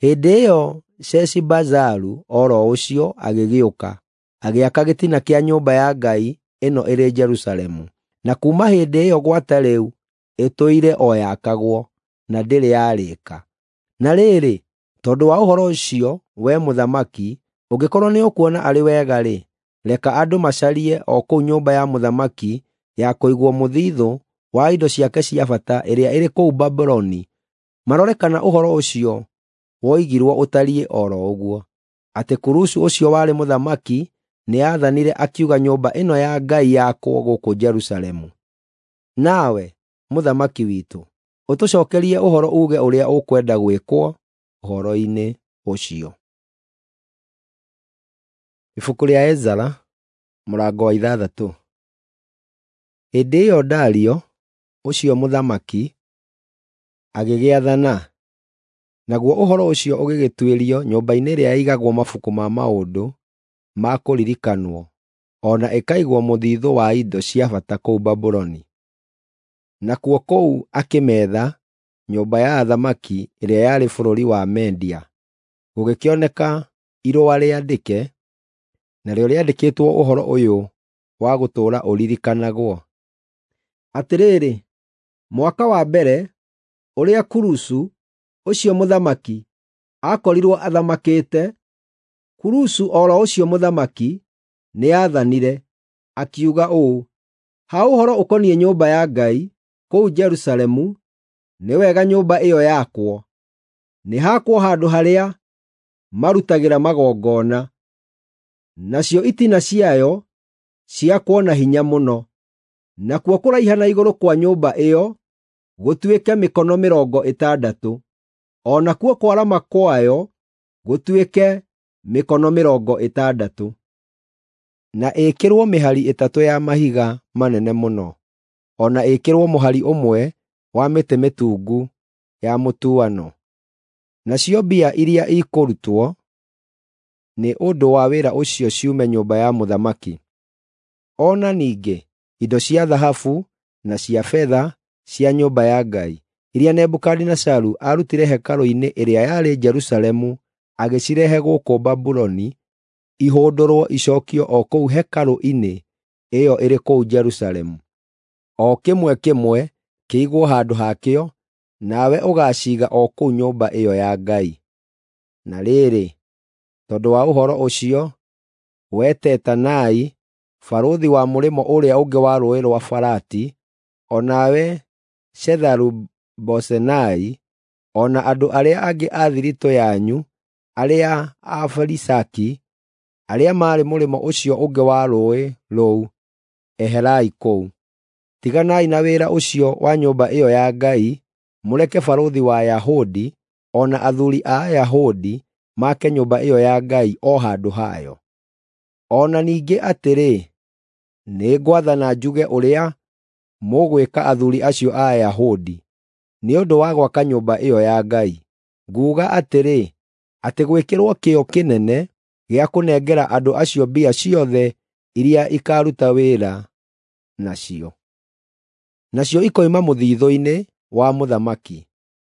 Hĩndĩ ĩyo Sheshibazaru o ro ũcio agĩgĩũka, agĩaka gĩtina kĩa nyũmba ya Ngai ĩno ĩrĩ Jerusalemu, na kuuma hĩndĩ ĩyo gwata rĩu ĩtũire o yakagwo, na ndĩrĩ yarĩka. Na rĩrĩ, tondũ wa ũhoro ũcio, wee mũthamaki, ũngĩkorwo nĩũkuona arĩ wega-rĩ, reka andũ macarie o kũu nyũmba ya mũthamaki ya kũigwo mũthithũ wa indo ciake cia bata ĩrĩa ĩrĩ kũu Babuloni, marore kana ũhoro ũcio woigirwo ũtariĩ o ro ũguo, atĩ Kurusu ũcio warĩ mũthamaki nĩathanire akiuga nyũmba ĩno ya Ngai yakwo gũkũ Jerusalemu. Nawe, mũthamaki witũ, ũtũcookerie ũhoro uuge ũrĩa ũkwenda gwĩkwo ũhoro-inĩ ũcio. Ibuku rĩa Ezara mũrango wa ithathatũ. Hĩndĩ ĩyo Dario ũcio mũthamaki agĩgĩathana, naguo ũhoro ũcio ũgĩgĩtuĩrio nyũmba-inĩ ĩrĩa yaigagwo mabuku ma maũndũ ma kũririkanwo, o na ĩkaigwo mũthithũ wa indo cia bata kũu Babuloni. Nakuo kũu akĩmeetha nyũmba ya athamaki ĩrĩa yarĩ bũrũri wa Media. Gũgĩkĩoneka irũa rĩandĩke, narĩo rĩandĩkĩtwo ũhoro ũyũ wa gũtũũra ũririkanagwo. Atĩrĩrĩ, mwaka wa mbere ũrĩa Kurusu ũcio mũthamaki aakorirwo athamakĩte, Kurusu o ro ũcio mũthamaki nĩathanire, akiuga ũũ: Ha ũhoro ũkoniĩ nyũmba ya Ngai kũu Jerusalemu, nĩ wega nyũmba ĩyo yakwo. Nĩ hakwo handũ harĩa marutagĩra magongona, nacio itina ciayo ciakwo na hinya mũno. Nakuo kũraiha na igũrũ kwa nyũmba ĩyo gũtuĩke mĩkono mĩrongo ĩtandatũ, o nakuo kwarama kwayo gũtuĩke mĩkono mĩrongo ĩtandatũ, na ĩkĩrwo mĩhari ĩtatũ ya mahiga manene mũno, o na ĩkĩrwo mũhari ũmwe wa mĩtĩ mĩtungu ya mũtuano. Nacio mbia iria ikũrutwo nĩ ũndũ wa wĩra ũcio ciume nyũmba ya mũthamaki. O na ningĩ indo cia thahabu na cia betha cia nyũmba ya Ngai iria Nebukadinezaru aarutire hekarũ-inĩ ĩrĩa yarĩ Jerusalemu agĩcirehe gũkũ Babuloni ihũndũrwo icookio o kũu hekarũ-inĩ ĩyo ĩrĩ kũu Jerusalemu, o kĩmwe kĩmwe kĩigwo handũ hakĩo, nawe ũgaaciiga o kũu nyũmba ĩyo ya Ngai. Na rĩrĩ, tondũ wa ũhoro ũcio, wee Tetanai, barũthi wa mũrĩmo ũrĩa ũngĩ wa Rũũĩ rwa Farati, o nawe Shetharu-Bozenai, o na andũ arĩa angĩ a thiritũ yanyu arĩa Afarisaki, arĩa maarĩ mũrĩmo ũcio ũngĩ wa rũũĩ rũu, eherai kũu. Tiganai na wĩra ũcio wa nyũmba ĩyo ya Ngai, mũreke barũthi wa Ayahudi o na athuuri a Ayahudi make nyũmba ĩyo ya Ngai o handũ hayo. O na ningĩ atĩrĩ, nĩngwathana njuge ũrĩa mũgwĩka athuuri acio a Ayahudi nĩ ũndũ wa gwaka nyũmba ĩyo ya Ngai. Nguuga atĩrĩ, atĩ gwĩkĩrwo kĩyo kĩnene gĩa kũnengera andũ acio mbia ciothe iria ikaaruta wĩra nacio. Nacio ikoima mũthithũ-inĩ wa mũthamaki,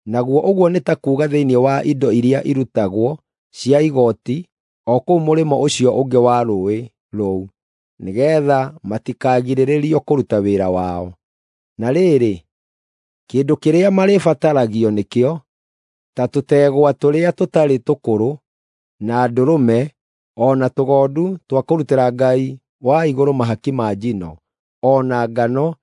naguo ũguo nĩ ta kuuga thĩinĩ wa indo iria irutagwo cia igooti o kũu mũrĩmo ũcio ũngĩ wa rũũĩ rũu, nĩgeetha matikagirĩrĩrio kũruta wĩra wao. Na rĩrĩ, kĩndũ kĩrĩa marĩbataragio nĩkĩo, ta tũtegwa tũrĩa tũtarĩ tũkũrũ, na ndũrũme, o na tũgondu twa kũrutĩra Ngai wa igũrũ mahaki ma njino, o na ngano,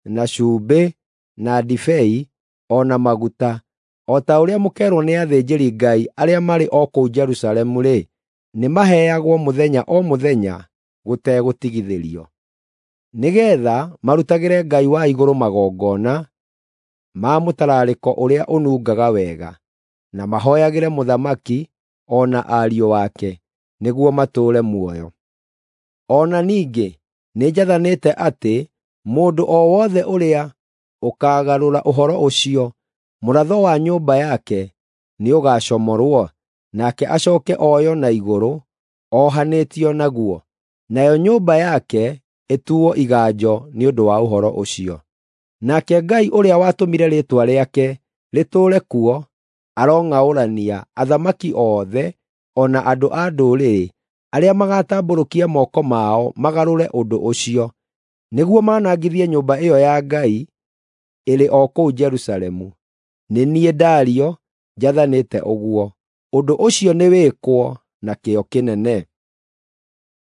na cumbĩ, na ndibei, o na maguta, o ta ũrĩa mũkeerwo nĩ athĩnjĩri-Ngai arĩa marĩ o kũu Jerusalemu-rĩ, nĩmaheagwo mũthenya o mũthenya gũtegũtigithĩrio, nĩgeetha marutagĩre Ngai wa igũrũ magongona ma mũtararĩko ũrĩa ũnungaga wega, na mahooyagĩre mũthamaki o na ariũ ake, nĩguo matũũre muoyo. O na ningĩ nĩnjathanĩte atĩ mũndũ o wothe ũrĩa ũkaagarũra ũhoro ũcio, mũratho wa nyũmba yake nĩũgacomorwo, nake acooke oywo na igũrũ ohanĩtio naguo, nayo nyũmba yake ĩtuo iganjo nĩ ũndũ wa ũhoro ũcio. Nake Ngai ũrĩa watũmire rĩĩtwa rĩake rĩtũũre kuo arong'aũrania athamaki othe o na andũ a ndũrĩrĩ arĩa magatambũrũkia moko mao magarũre ũndũ ũcio, nĩguo manangithie nyũmba ĩyo ya Ngai ĩrĩ o kũu Jerusalemu. Nĩ niĩ Dario njathanĩte ũguo. Ũndũ ũcio nĩwĩkwo na kĩyo kĩnene.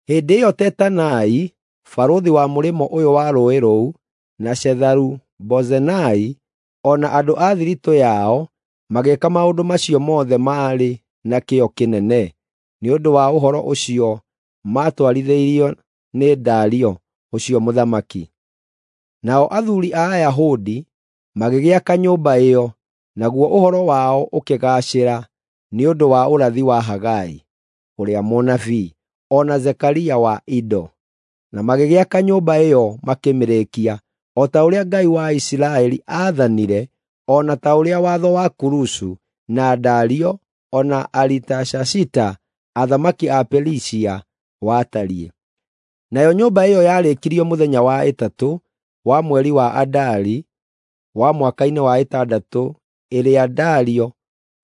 Hĩndĩ ĩyo Tetanai, barũthi wa mũrĩmo ũyũ wa rũũĩ rũu, na Shetharu-Bozenai, o na andũ a thiritũ yao magĩĩka maũndũ macio mothe maarĩ na kĩyo kĩnene, nĩ ũndũ wa ũhoro ũcio maatwarithĩirio nĩ Dario ũcio mũthamaki. Nao athuuri a Ayahudi magĩgĩaka nyũmba ĩyo, naguo ũhoro wao ũkĩgaacĩra nĩ ũndũ wa ũrathi wa Hagai ũrĩa mũnabii, o na Zekaria wa Ido. Na magĩgĩaka nyũmba ĩyo makĩmĩrĩkia, o ta ũrĩa Ngai wa Isiraeli aathanire, o na ta ũrĩa watho wa Kurusu na Dario o na Aritashashita athamaki a Perisia watariĩ. Nayo nyũmba ĩyo yarĩkirio mũthenya wa ĩtatũ wa mweri wa Adari wa mwaka-inĩ wa ĩtandatũ ĩrĩa Dario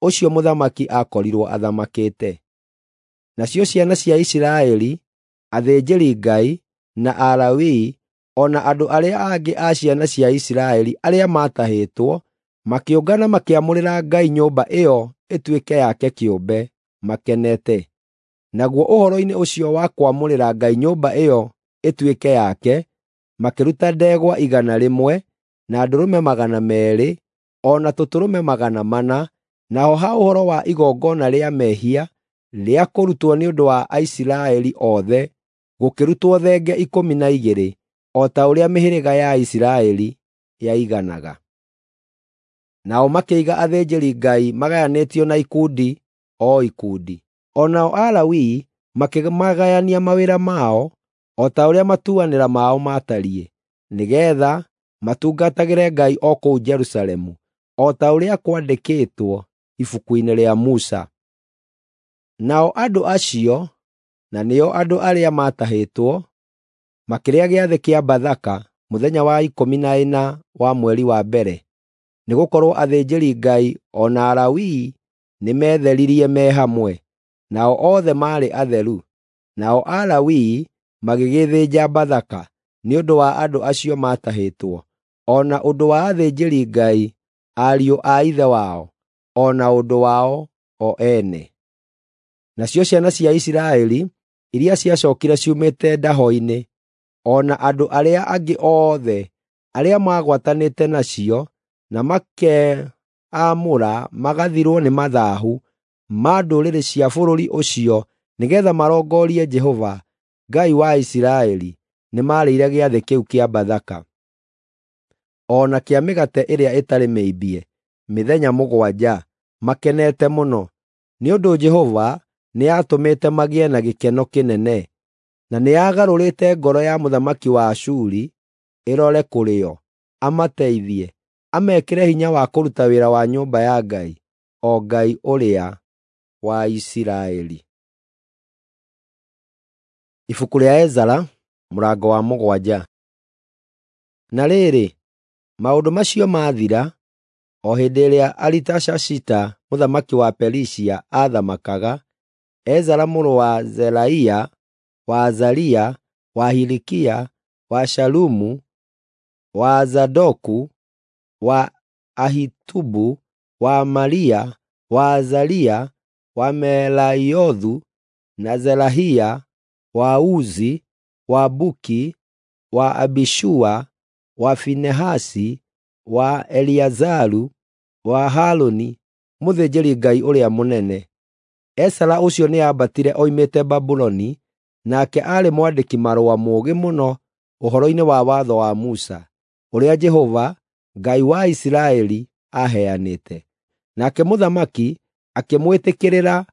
ũcio mũthamaki aakorirwo athamakĩte. Nacio ciana cia Isiraeli, athĩnjĩri-Ngai, na Alawii, o na andũ arĩa angĩ a ciana cia Isiraeli arĩa maatahĩtwo, makĩũngana makĩamũrĩra Ngai nyũmba ĩyo ĩtuĩke yake kĩũmbe, makenete. Naguo ũhoro-inĩ ũcio wa kwamũrĩra Ngai nyũmba ĩyo ĩtuĩke yake, makĩruta ndegwa igana rĩmwe, na ndũrũme magana meerĩ, o na tũtũrũme magana mana, naho ha ũhoro wa igongona rĩa mehia rĩa kũrutwo nĩ ũndũ wa Aisiraeli othe, gũkĩrutwo thenge ikũmi na igĩrĩ, o ta ũrĩa mĩhĩrĩga ya Isiraeli yaiganaga. Nao makĩiga athĩnjĩri-Ngai magayanĩtio na ikundi o ikundi. O nao Alawii makĩmagayania mawĩra mao o ta ũrĩa matuanĩra mao maatariĩ, nĩgeetha matungatagĩre Ngai o kũu Jerusalemu, o ta ũrĩa kwandĩkĩtwo ibuku-inĩ rĩa Musa. Nao andũ acio, na nĩo andũ arĩa maatahĩtwo, makĩrĩa gĩathĩ kĩa Bathaka mũthenya wa ikũmi na ĩna wa mweri wa mbere, nĩgũkorwo athĩnjĩri-Ngai o na Alawii nĩmetheririe me hamwe, nao othe maarĩ atheru. Nao Alawii magĩgĩthĩnja Bathaka nĩ ũndũ wa andũ acio maatahĩtwo, o na ũndũ wa athĩnjĩri-Ngai ariũ a ithe wao, o na ũndũ wao o ene. Nacio ciana cia Isiraeli iria ciacookire ciumĩte ndaho-inĩ, o na andũ arĩa angĩ othe arĩa maagwatanĩte nacio na makeamũra magathirwo nĩ mathaahu ma ndũrĩrĩ cia bũrũri ũcio nĩgeetha marongorie Jehova, Ngai wa Isiraeli, nĩmarĩire gĩathĩ kĩu kĩa Bathaka, o na kĩa mĩgate ĩrĩa ĩtarĩ mĩimbie, mĩthenya mũgwanja, makenete mũno, nĩ ũndũ Jehova nĩatũmĩte magĩe na gĩkeno kĩnene, na nĩagarũrĩte ngoro ya mũthamaki wa Ashuri ĩrore kũrĩ o, amateithie, amekĩre hinya wa kũruta wĩra wa nyũmba ya Ngai, o Ngai ũrĩa wa Isiraeli. Ibuku rĩa Ezara mũrango wa mũgwanja. Na rĩrĩ, Maũndũ macio maathira, o hĩndĩ ĩrĩa Aritashashita mũthamaki wa Perisia aathamakaga, Ezara mũrũ wa Zeraia, wa Azaria, wa Hilikia, wa Shalumu, wa Zadoku, wa Ahitubu, wa Amaria, wa Azaria, wa Meraiothu na Zerahia, wa Uzi, wa Buki, wa Abishua, wa Finehasi, wa Eliazaru, wa Harũni, mũthĩnjĩri-Ngai ũrĩa mũnene. Ezara ũcio nĩambatire oimĩte Babuloni, nake aarĩ mwandĩki-marũa mũũgĩ mũno ũhoro-inĩ wa watho wa Musa, ũrĩa Jehova, Ngai wa Isiraeli, aaheanĩte. Nake mũthamaki akĩmwĩtĩkĩrĩra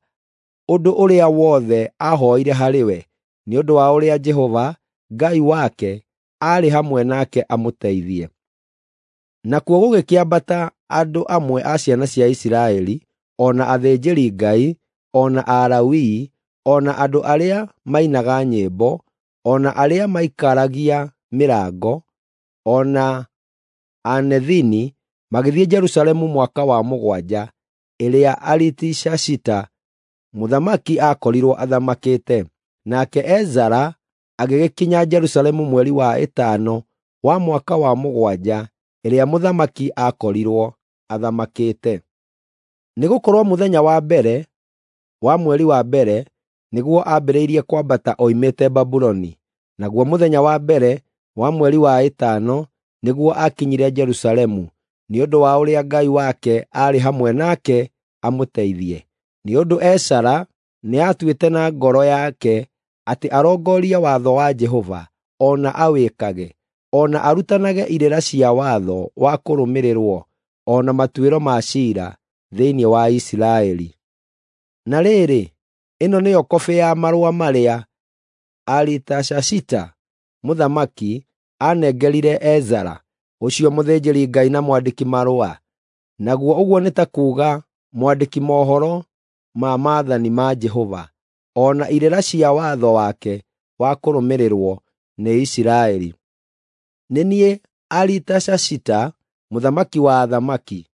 ũndũ ũrĩa wothe aahooire harĩ we, nĩ ũndũ wa ũrĩa Jehova, Ngai wake, aarĩ hamwe nake amũteithie. Nakuo gũgĩkĩambata andũ amwe a ciana cia Isiraeli, o na athĩnjĩri-Ngai, o na Alawii, o na andũ arĩa mainaga nyĩmbo, o na arĩa maikaragia mĩrango, o na Anethini, magĩthiĩ Jerusalemu mwaka wa mũgwanja ĩrĩa Aritashashita mũthamaki aakorirwo athamakĩte. Nake Ezara agĩgĩkinya Jerusalemu mweri wa ĩtano wa mwaka wa mũgwanja ĩrĩa mũthamaki aakorirwo athamakĩte. Nĩgũkorwo mũthenya wa mbere wa mweri wa mbere nĩguo aambĩrĩirie kwambata oimĩte Babuloni, naguo mũthenya wa mbere wa mweri wa ĩtano nĩguo aakinyire Jerusalemu, nĩ ũndũ wa ũrĩa Ngai wake aarĩ hamwe nake amũteithie. Nĩ ũndũ Ezara nĩatuĩte na ngoro yake atĩ arongorie watho wa Jehova, o na awĩkage, o na arutanage irĩra cia watho wa kũrũmĩrĩrwo, o na matuĩro ma ciira thĩinĩ wa Isiraeli. Na rĩrĩ, ĩno nĩyo kobĩ ya marũa marĩa Aritashashita mũthamaki aanengerire Ezara, ũcio mũthĩnjĩri-Ngai na mwandĩki-marũa, naguo ũguo nĩ ta kuuga mwandĩki mohoro ma maathani ma Jehova, o na irĩra cia watho wake wa kũrũmĩrĩrwo nĩ Isiraeli. Nĩ niĩ Aritashashita, mũthamaki wa athamaki,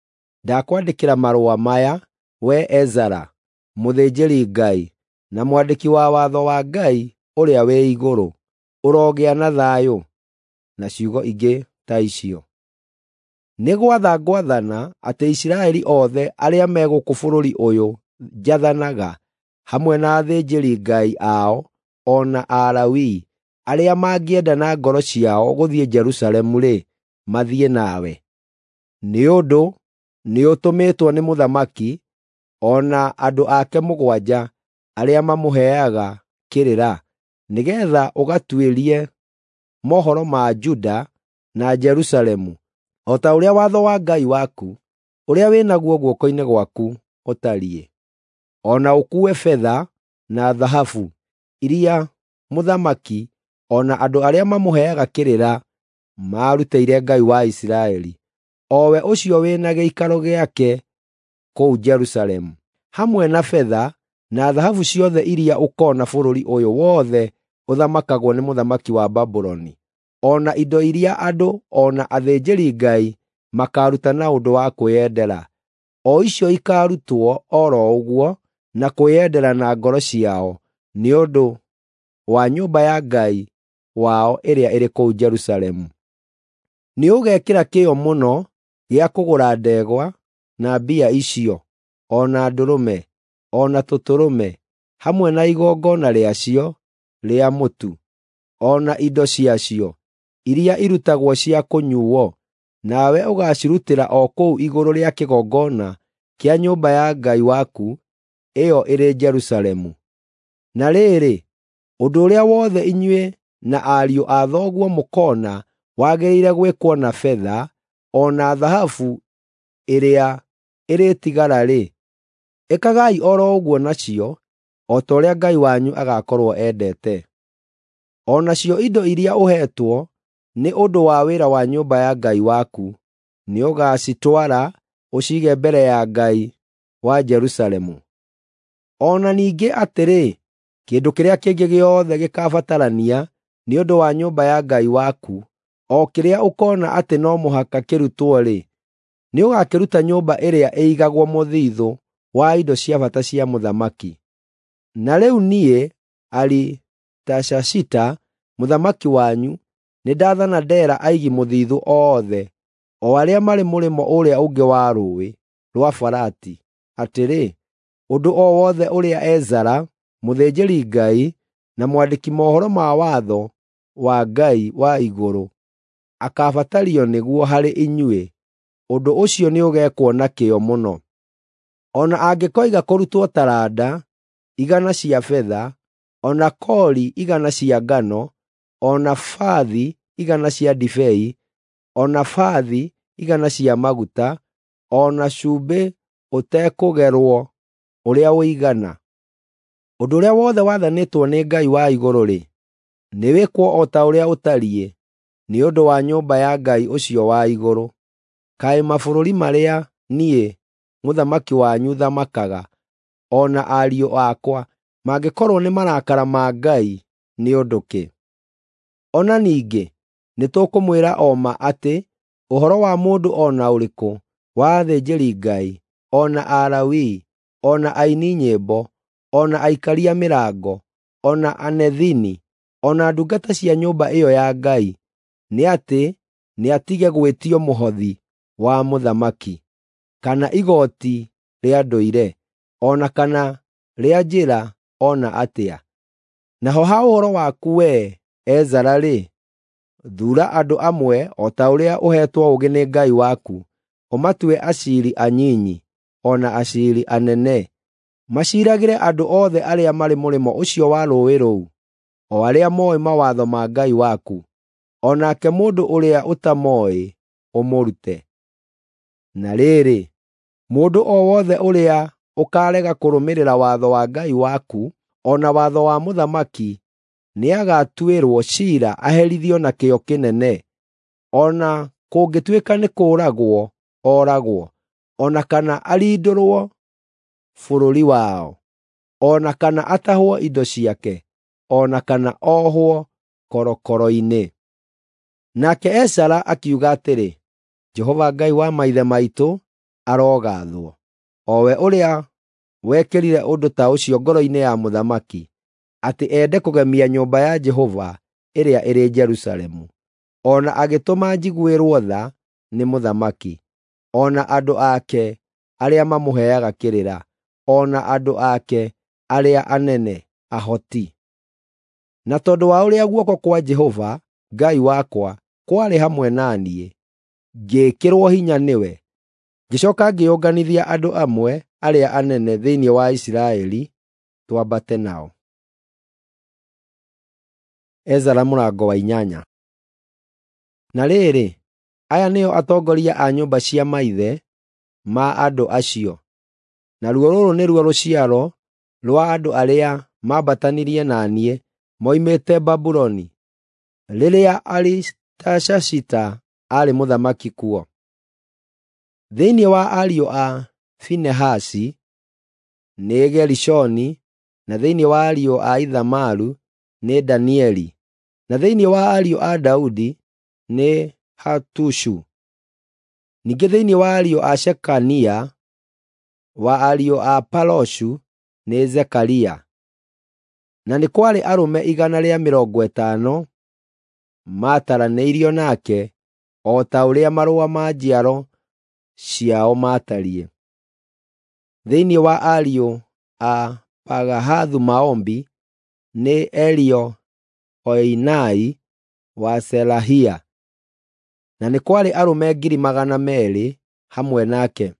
ndakwandĩkĩra marũa maya, wee Ezara, mũthĩnjĩri-Ngai na mwandĩki wa watho wa Ngai ũrĩa wĩ igũrũ. Ũrogĩa na thayũ. Na ciugo ingĩ ta icio. Nĩ gwatha ngwathana atĩ Isiraeli othe arĩa me gũkũ bũrũri ũyũ njathanaga, hamwe na athĩnjĩri-Ngai ao o na Alawii, arĩa mangĩenda na ngoro ciao gũthiĩ Jerusalemu-rĩ, mathiĩ nawe. Nĩ ũndũ nĩũtũmĩtwo nĩ mũthamaki o na andũ ake mũgwanja arĩa mamũheaga kĩrĩra, nĩgeetha ũgatuĩrie mohoro ma Juda na Jerusalemu, o ta ũrĩa watho wa Ngai waku, ũrĩa wĩ naguo guoko-inĩ gwaku, ũtariĩ. O na ũkuue betha na thahabu iria mũthamaki o na andũ arĩa mamũheaga kĩrĩra maarutĩire Ngai wa Isiraeli, o we ũcio wĩ na gĩikaro gĩake kũu Jerusalemu, hamwe na betha na thahabu ciothe iria ũkoona bũrũri ũyũ wothe ũthamakagwo nĩ mũthamaki wa Babuloni, o na indo iria andũ o na athĩnjĩri-Ngai makaaruta na ũndũ wa kwĩyendera, o icio ikaarutwo o ro ũguo na kwĩyendera na ngoro ciao nĩ ũndũ wa nyũmba ya Ngai wao ĩrĩa ĩrĩ kũu Jerusalemu. Nĩũgekĩra kĩyo mũno gĩa kũgũra ndegwa na mbia icio, o na ndũrũme, o na tũtũrũme, hamwe na igongona rĩacio rĩa mũtu, o na indo ciacio iria irutagwo cia kũnyuuo, nawe ũgaacirutĩra o kũu igũrũ rĩa kĩgongona kĩa nyũmba ya Ngai waku ĩyo ĩrĩ Jerusalemu. Na rĩrĩ, ũndũ ũrĩa wothe inyuĩ na ariũ a thoguo mũkoona wagĩrĩire gwĩkwo na betha o na thahabu ĩrĩa ĩrĩtigara-rĩ, ĩkagai o ro ũguo nacio, o ta ũrĩa Ngai wanyu agaakorwo endete. O nacio indo iria ũheetwo nĩ ũndũ wa wĩra wa nyũmba ya Ngai waku, nĩũgacitwara ũciige mbere ya Ngai wa Jerusalemu. O na ningĩ atĩrĩ, kĩndũ kĩrĩa kĩngĩ gĩothe gĩkabatarania nĩ ũndũ wa nyũmba ya Ngai waku, o kĩrĩa ũkoona atĩ no mũhaka kĩrutwo-rĩ, nĩũgakĩruta nyũmba ĩrĩa ĩigagwo mũthithũ wa indo cia bata cia mũthamaki. Na rĩu niĩ, Aritashashita mũthamaki wanyu, nĩndathana ndeera aigi mũthithũ othe, o arĩa marĩ mũrĩmo ũrĩa ũngĩ wa Rũũĩ rwa Farati, atĩrĩ, ũndũ o wothe ũrĩa Ezara mũthĩnjĩri-Ngai na mwandĩki mohoro ma watho wa Ngai wa igũrũ akaabatario nĩguo harĩ inyuĩ, ũndũ ũcio nĩũgeekwo na kĩyo mũno. O na angĩkoiga kũrutwo taranda igana cia betha, o na kori igana cia ngano, o na bathi igana cia ndibei, o na bathi igana cia maguta, o na cumbĩ ũtekũgerwo ũrĩa ũigana. Ũndũ ũrĩa wothe wathanĩtwo nĩ Ngai wa igũrũ-rĩ, nĩwĩkwo o ta ũrĩa ũtariĩ, nĩ ũndũ wa nyũmba ya Ngai ũcio wa igũrũ. Kaĩ mabũrũri marĩa niĩ mũthamaki wanyu thamakaga, o na ariũ akwa, mangĩkorwo nĩ marakara ma Ngai nĩ ũndũ kĩ? O na ningĩ nĩtũkũmwĩra o ma atĩ ũhoro wa mũndũ o na ũrĩkũ wa athĩnjĩri-Ngai, o na Alawii, o na aini nyĩmbo, o na aikaria mĩrango, o na Anethini, o na ndungata cia nyũmba ĩyo ya Ngai, nĩ atĩ nĩatige gwĩtio mũhothi wa mũthamaki, kana igooti rĩa ndũire, o na kana rĩa njĩra o na atĩa. Naho ha ũhoro waku wee, Ezara-rĩ, thuura andũ amwe o ta ũrĩa ũheetwo ũũgĩ nĩ Ngai waku, ũmatue aciiri anyinyi o na aciiri anene, maciiragĩre andũ othe arĩa marĩ mũrĩmo ũcio wa rũũĩ rũu, o arĩa mooĩ mawatho ma Ngai waku, o nake mũndũ ũrĩa ũtamooĩ ũmũrute. Na rĩrĩ, mũndũ o wothe ũrĩa ũkaarega kũrũmĩrĩra watho wa Ngai waku o na watho wa mũthamaki nĩagatuĩrwo ciira aherithio na kĩyo kĩnene, o na kũngĩtuĩka nĩ kũũragwo ooragwo, o na kana arindũrwo bũrũri wao, o na kana atahwo indo ciake, o na kana ohwo korokoro-inĩ. Nake Ezara akiuga atĩrĩ, Jehova Ngai wa maithe maitũ arogaathwo, o we ũrĩa wekĩrire ũndũ ta ũcio ngoro-inĩ ya mũthamaki, atĩ ende kũgemia nyũmba ya Jehova ĩrĩa ĩrĩ Jerusalemu, o na agĩtũma njiguĩrwo tha nĩ mũthamaki, o na andũ ake arĩa mamũheaga kĩrĩra, o na andũ ake arĩa anene ahoti. Na tondũ wa ũrĩa guoko kwa Jehova Ngai wakwa kwarĩ hamwe na niĩ, ngĩĩkĩrwo hinya nĩwe. Ngĩcooka ngĩũnganithia andũ amwe arĩa anene thĩinĩ wa Isiraeli twambate nao. Ezara mũrango wa inyanya. Na rĩrĩ, aya nĩo atongoria a nyũmba cia maithe ma andũ acio. Naruo rũrũ nĩruo rũciaro rwa andũ arĩa maambatanirie na niĩ moimĩte Babuloni, rĩrĩa Aritashashita aarĩ mũthamaki kuo. Thĩinĩ wa ariũ a Finehasi nĩ Gerishoni, na thĩinĩ wa ariũ a Ithamaru nĩ Danieli, na thĩinĩ wa ariũ a Daudi nĩ Hatushu. Ningĩ thĩinĩ wa ariũ a Shekania, wa ariũ a Paroshu nĩ Zekaria. Na nĩ kwarĩ arũme igana rĩa mĩrongo ĩtano maataranĩirio nake o ta ũrĩa marũa ma njiaro ciao maatariĩ. Thĩinĩ wa ariũ a Pahathu-Moabi nĩ Eliehoenai wa Serahia, na nĩ kwarĩ arũme ngiri magana meerĩ hamwe nake.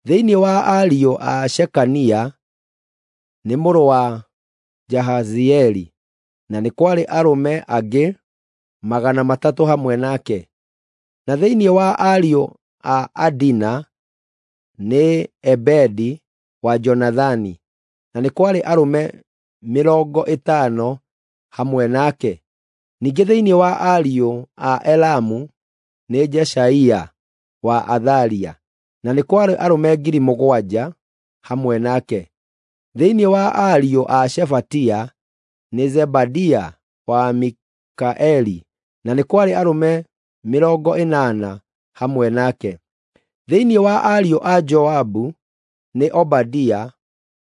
Thĩinĩ wa ariũ a Shekania nĩ mũrũ wa Jahazieli, na nĩ kwarĩ arũme angĩ magana matatũ hamwe nake. Na thĩinĩ wa ariũ a Adina nĩ Ebedi wa Jonathani, na nĩ kwarĩ arũme mĩrongo ĩtano hamwe nake. Ningĩ thĩinĩ wa ariũ a Elamu nĩ Jeshaia wa Athalia, na nĩ kwarĩ arũme ngiri mũgwanja hamwe nake. Thĩinĩ wa ariũ a Shefatia nĩ Zebadia wa Mikaeli, na nĩ kwarĩ arũme mĩrongo ĩnana hamwe nake. Thĩinĩ wa ariũ a Joabu nĩ Obadia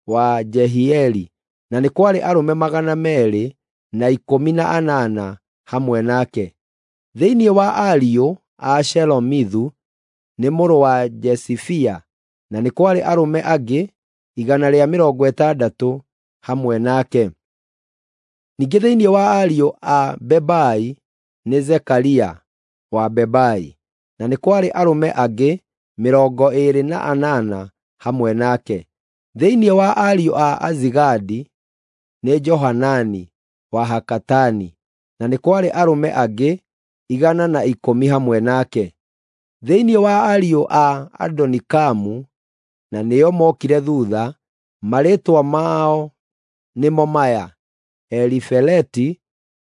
wa Jehieli, na nĩ kwarĩ arũme magana meerĩ na ikũmi na anana hamwe nake. Thĩinĩ wa ariũ a Shelomithu nĩ mũrũ wa Jesifia, na nĩ kwarĩ arũme angĩ igana rĩa mĩrongo ĩtandatũ hamwe nake. Ningĩ thĩinĩ wa ariũ a Bebai nĩ Zekaria wa Bebai, na nĩ kwarĩ arũme angĩ mĩrongo ĩĩrĩ na anana hamwe nake. Thĩinĩ wa ariũ a Azigadi nĩ Johanani wa Hakatani, na nĩ kwarĩ arũme angĩ igana na ikũmi hamwe nake. Thĩinĩ wa ariũ a Adonikamu, na nĩo mookire thuutha, marĩĩtwa mao nĩmo maya: Elifeleti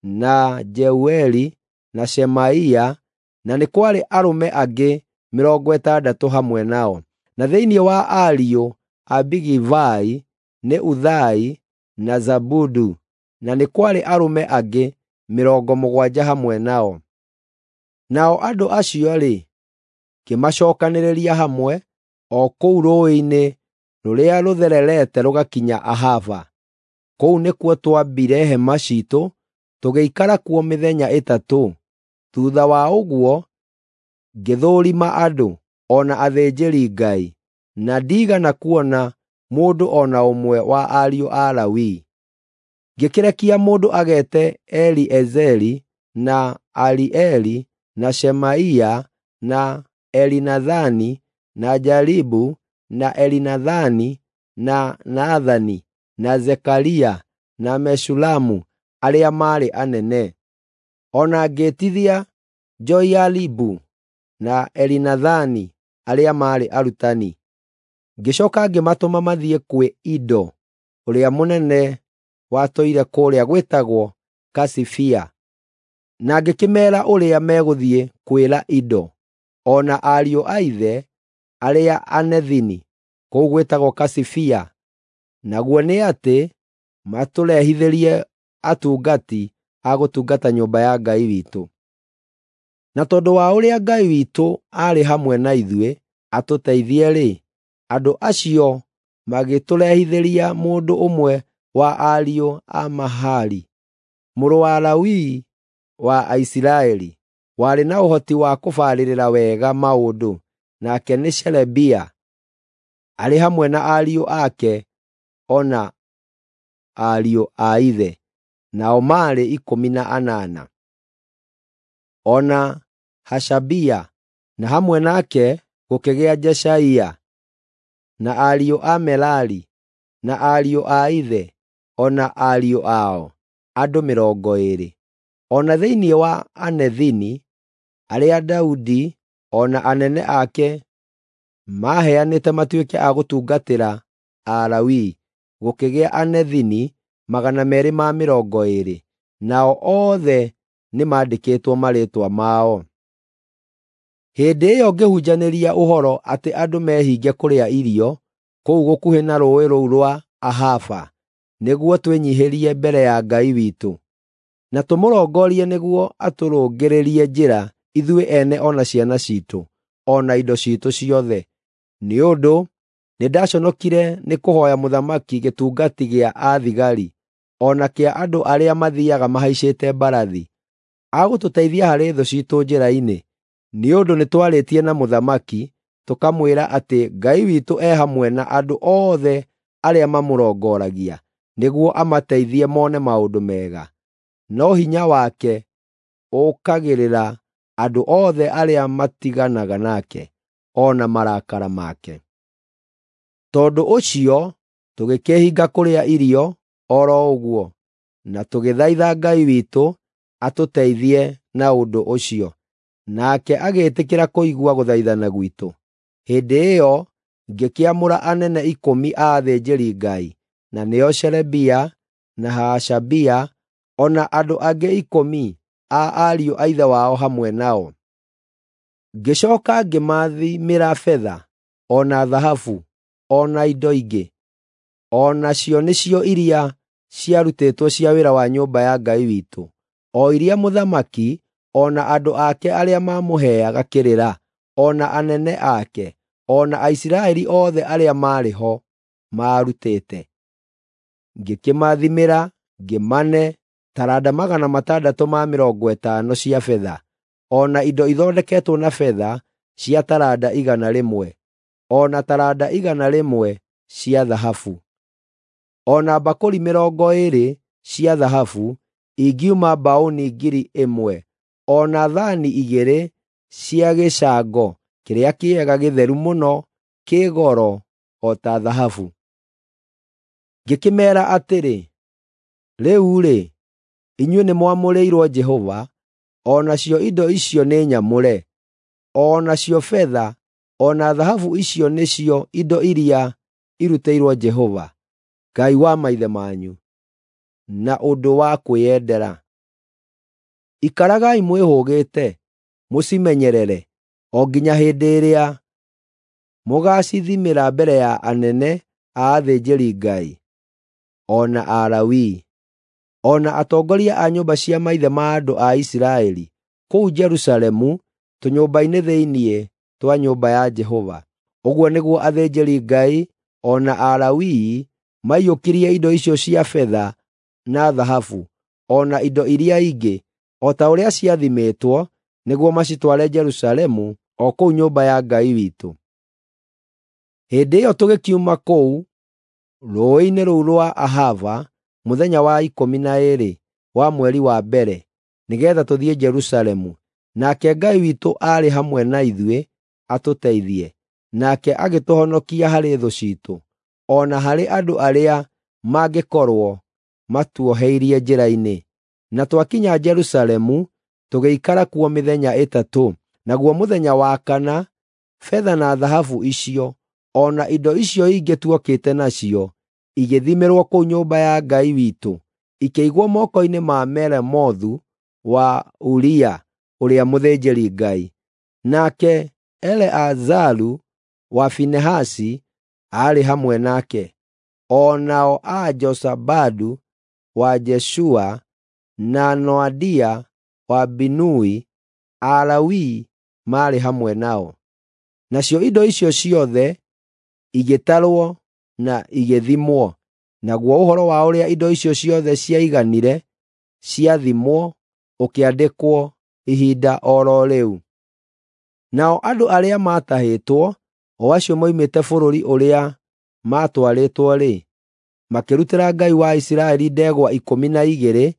na Jeueli na Shemaia, na nĩ kwarĩ arũme angĩ mĩrongo ĩtandatũ hamwe nao. Na thĩinĩ wa ariũ a Bigivai nĩ Uthai na Zabudu, na nĩ kwarĩ arũme angĩ mĩrongo mũgwanja hamwe nao. Nao andũ acio-rĩ, ngĩmacookanĩrĩria hamwe o kũu rũũĩ-inĩ rũrĩa rũthererete rũgakinya Ahava. Kũu nĩkuo twambire hema ciitũ tũgĩikara kuo mĩthenya ĩtatũ. Thuutha wa ũguo ngĩthũũrima andũ, o na athĩnjĩri-Ngai, na ndiigana kuona mũndũ o na ũmwe wa ariũ a Lawi. Ngĩkĩrekia mũndũ ageete Eliezeri na Arieli na Shemaia na Elinathani na Jaribu na Elinathani na Nathani na Zekaria na Meshulamu arĩa maarĩ anene. O na ngĩĩtithia Joiaribu na Elinathani arĩa maarĩ arutani. Ngĩcooka ngĩmatũma mathiĩ kwĩ Ido ũrĩa mũnene watũire kũrĩa gwĩtagwo Kasifia, na ngĩkĩmeera ũrĩa megũthiĩ kwĩra Ido o na ariũ a ithe arĩa Anethini kũu gwĩtagwo Kasifia, naguo nĩ atĩ matũrehithĩrie atungati a gũtungata nyũmba ya Ngai witũ. Na tondũ wa ũrĩa Ngai witũ aarĩ hamwe na ithuĩ atũteithie-rĩ, andũ acio magĩtũrehithĩria mũndũ ũmwe wa ariũ a Mahali, mũrũ wa Lawi wa Aisiraeli, warĩ na ũhoti wa kũbarĩrĩra wega maũndũ, nake nĩ Sherebia, arĩ hamwe na ariũ ake o na ariũ a ithe, nao maarĩ ikũmi na anana. O na Hashabia, na hamwe nake gũkĩgĩa Jeshaia, na ariũ a Merari, na ariũ a ithe, o na ariũ ao, andũ mĩrongo ĩĩrĩ. O na thĩinĩ wa Anethini, arĩa Daudi o na anene ake maaheanĩte matuĩke a gũtungatĩra Alawii, gũkĩgĩa Anethini magana meerĩ ma mĩrongo ĩĩrĩ, nao othe nĩmandĩkĩtwo marĩĩtwa mao. Hĩndĩ ĩyo ngĩhunjanĩria ũhoro atĩ andũ mehinge kũrĩa irio kũu gũkuhĩ na rũũĩ rũu rwa Ahava, nĩguo twĩnyiihĩrie mbere ya Ngai witũ, na tũmũrongorie nĩguo atũrũngĩrĩrie njĩra ithuĩ ene o na ciana ciitũ, o na indo ciitũ ciothe. Nĩ ũndũ nĩndaconokire nĩ kũhooya mũthamaki gĩtungati gĩa athigari, o na kĩa andũ arĩa mathiiaga mahaicĩte mbarathi, a gũtũteithia harĩ thũ ciitũ njĩra-inĩ. Nĩ ũndũ nĩtwarĩtie na mũthamaki tũkamwĩra atĩ Ngai witũ e hamwe na andũ othe arĩa mamũrongoragia, nĩguo amateithie mone maũndũ mega. No hinya wake ũũkagĩrĩra andũ othe arĩa matiganaga nake, o na marakara make. Tondũ ũcio tũgĩkĩĩhinga kũrĩa irio o ro ũguo, na tũgĩthaitha Ngai witũ atũteithie na ũndũ ũcio, nake agĩĩtĩkĩra kũigua gũthaithana gwitũ. Hĩndĩ ĩyo ngĩkĩamũra anene ikũmi a athĩnjĩri-Ngai, na nĩo Sherebia na Hashabia, o na andũ angĩ ikũmi a ariũ a ithe wao hamwe nao. Ngĩcooka ngĩmathimĩra betha, o na thahabu, o na indo ingĩ, o nacio nĩcio iria ciarutĩtwo cia wĩra wa nyũmba ya Ngai witũ, o iria mũthamaki o na andũ ake arĩa maamũheaga kĩrĩra, o na anene ake, o na Aisiraeli othe arĩa maarĩ ho maarutĩte. Ngĩkĩmathimĩra, ngĩmane taranda magana matandatũ ma mĩrongo ĩtano cia betha, o na indo ithondeketwo na betha cia taranda igana rĩmwe, o na taranda igana rĩmwe cia thahabu, o na mbakũri mĩrongo ĩĩrĩ cia thahabu ingiuma mbaũni ngiri ĩmwe, o na thaani igĩrĩ cia gĩcango kĩrĩa kĩega gĩtheru mũno kĩ goro o ta thahabu. Ngĩkĩmeera atĩrĩ, “Rĩu-rĩ, inyuĩ nĩmwamũrĩirwo Jehova, o nacio indo icio nĩ nyamũre, o nacio betha o na thahabu icio nĩcio indo iria irutĩirwo Jehova, Ngai wa maithe manyu, na ũndũ wa kwĩyendera. Ikaragai mwĩhũgĩte, mũcimenyerere o nginya hĩndĩ ĩrĩa mũgaacithimĩra mbere ya anene a athĩnjĩri-Ngai, o na Alawii, o na atongoria a nyũmba cia maithe ma andũ a Isiraeli kũu Jerusalemu tũnyũmba-inĩ thĩinĩ twa nyũmba ya Jehova.” Ũguo nĩguo athĩnjĩri-Ngai o na Alawii maiyũkirie indo icio cia betha na thahabu, o na indo iria ingĩ, o ta ũrĩa ciathimĩtwo, nĩguo macitware Jerusalemu o kũu nyũmba ya Ngai witũ. Hĩndĩ ĩyo tũgĩkiuma kũu rũũĩ-inĩ rũu rwa Ahava mũthenya wa ikũmi na ĩĩrĩ wa mweri wa mbere, nĩgeetha tũthiĩ Jerusalemu. Nake Ngai witũ aarĩ hamwe na ithuĩ atũteithie, nake agĩtũhonokia harĩ thũ ciitũ, o na harĩ andũ arĩa mangĩkorwo matuoheirie njĩra-inĩ. Na twakinya Jerusalemu, tũgĩikara kuo mĩthenya ĩtatũ. Naguo mũthenya wa kana, betha na thahabu icio, o na indo icio ingĩ tuokĩte nacio, igĩthimĩrwo kũu nyũmba ya Ngai witũ, ikĩigwo moko-inĩ ma Meremothu wa Uria ũrĩa mũthĩnjĩri-Ngai. Nake Eleazaru wa Finehasi aarĩ hamwe nake, o nao a Jozabadu wa Jeshua na Noadia wa Binui, Alawii maarĩ hamwe nao. Nacio indo icio ciothe igĩtarwo na igĩthimwo, naguo ũhoro wa ũrĩa indo icio ciothe ciaiganire ciathimwo ũkĩandĩkwo ihinda o ro rĩu. Nao andũ arĩa maatahĩtwo, o acio moimĩte bũrũri ũrĩa maatwarĩtwo-rĩ, makĩrutĩra Ngai wa Isiraeli ndegwa ikũmi na igĩrĩ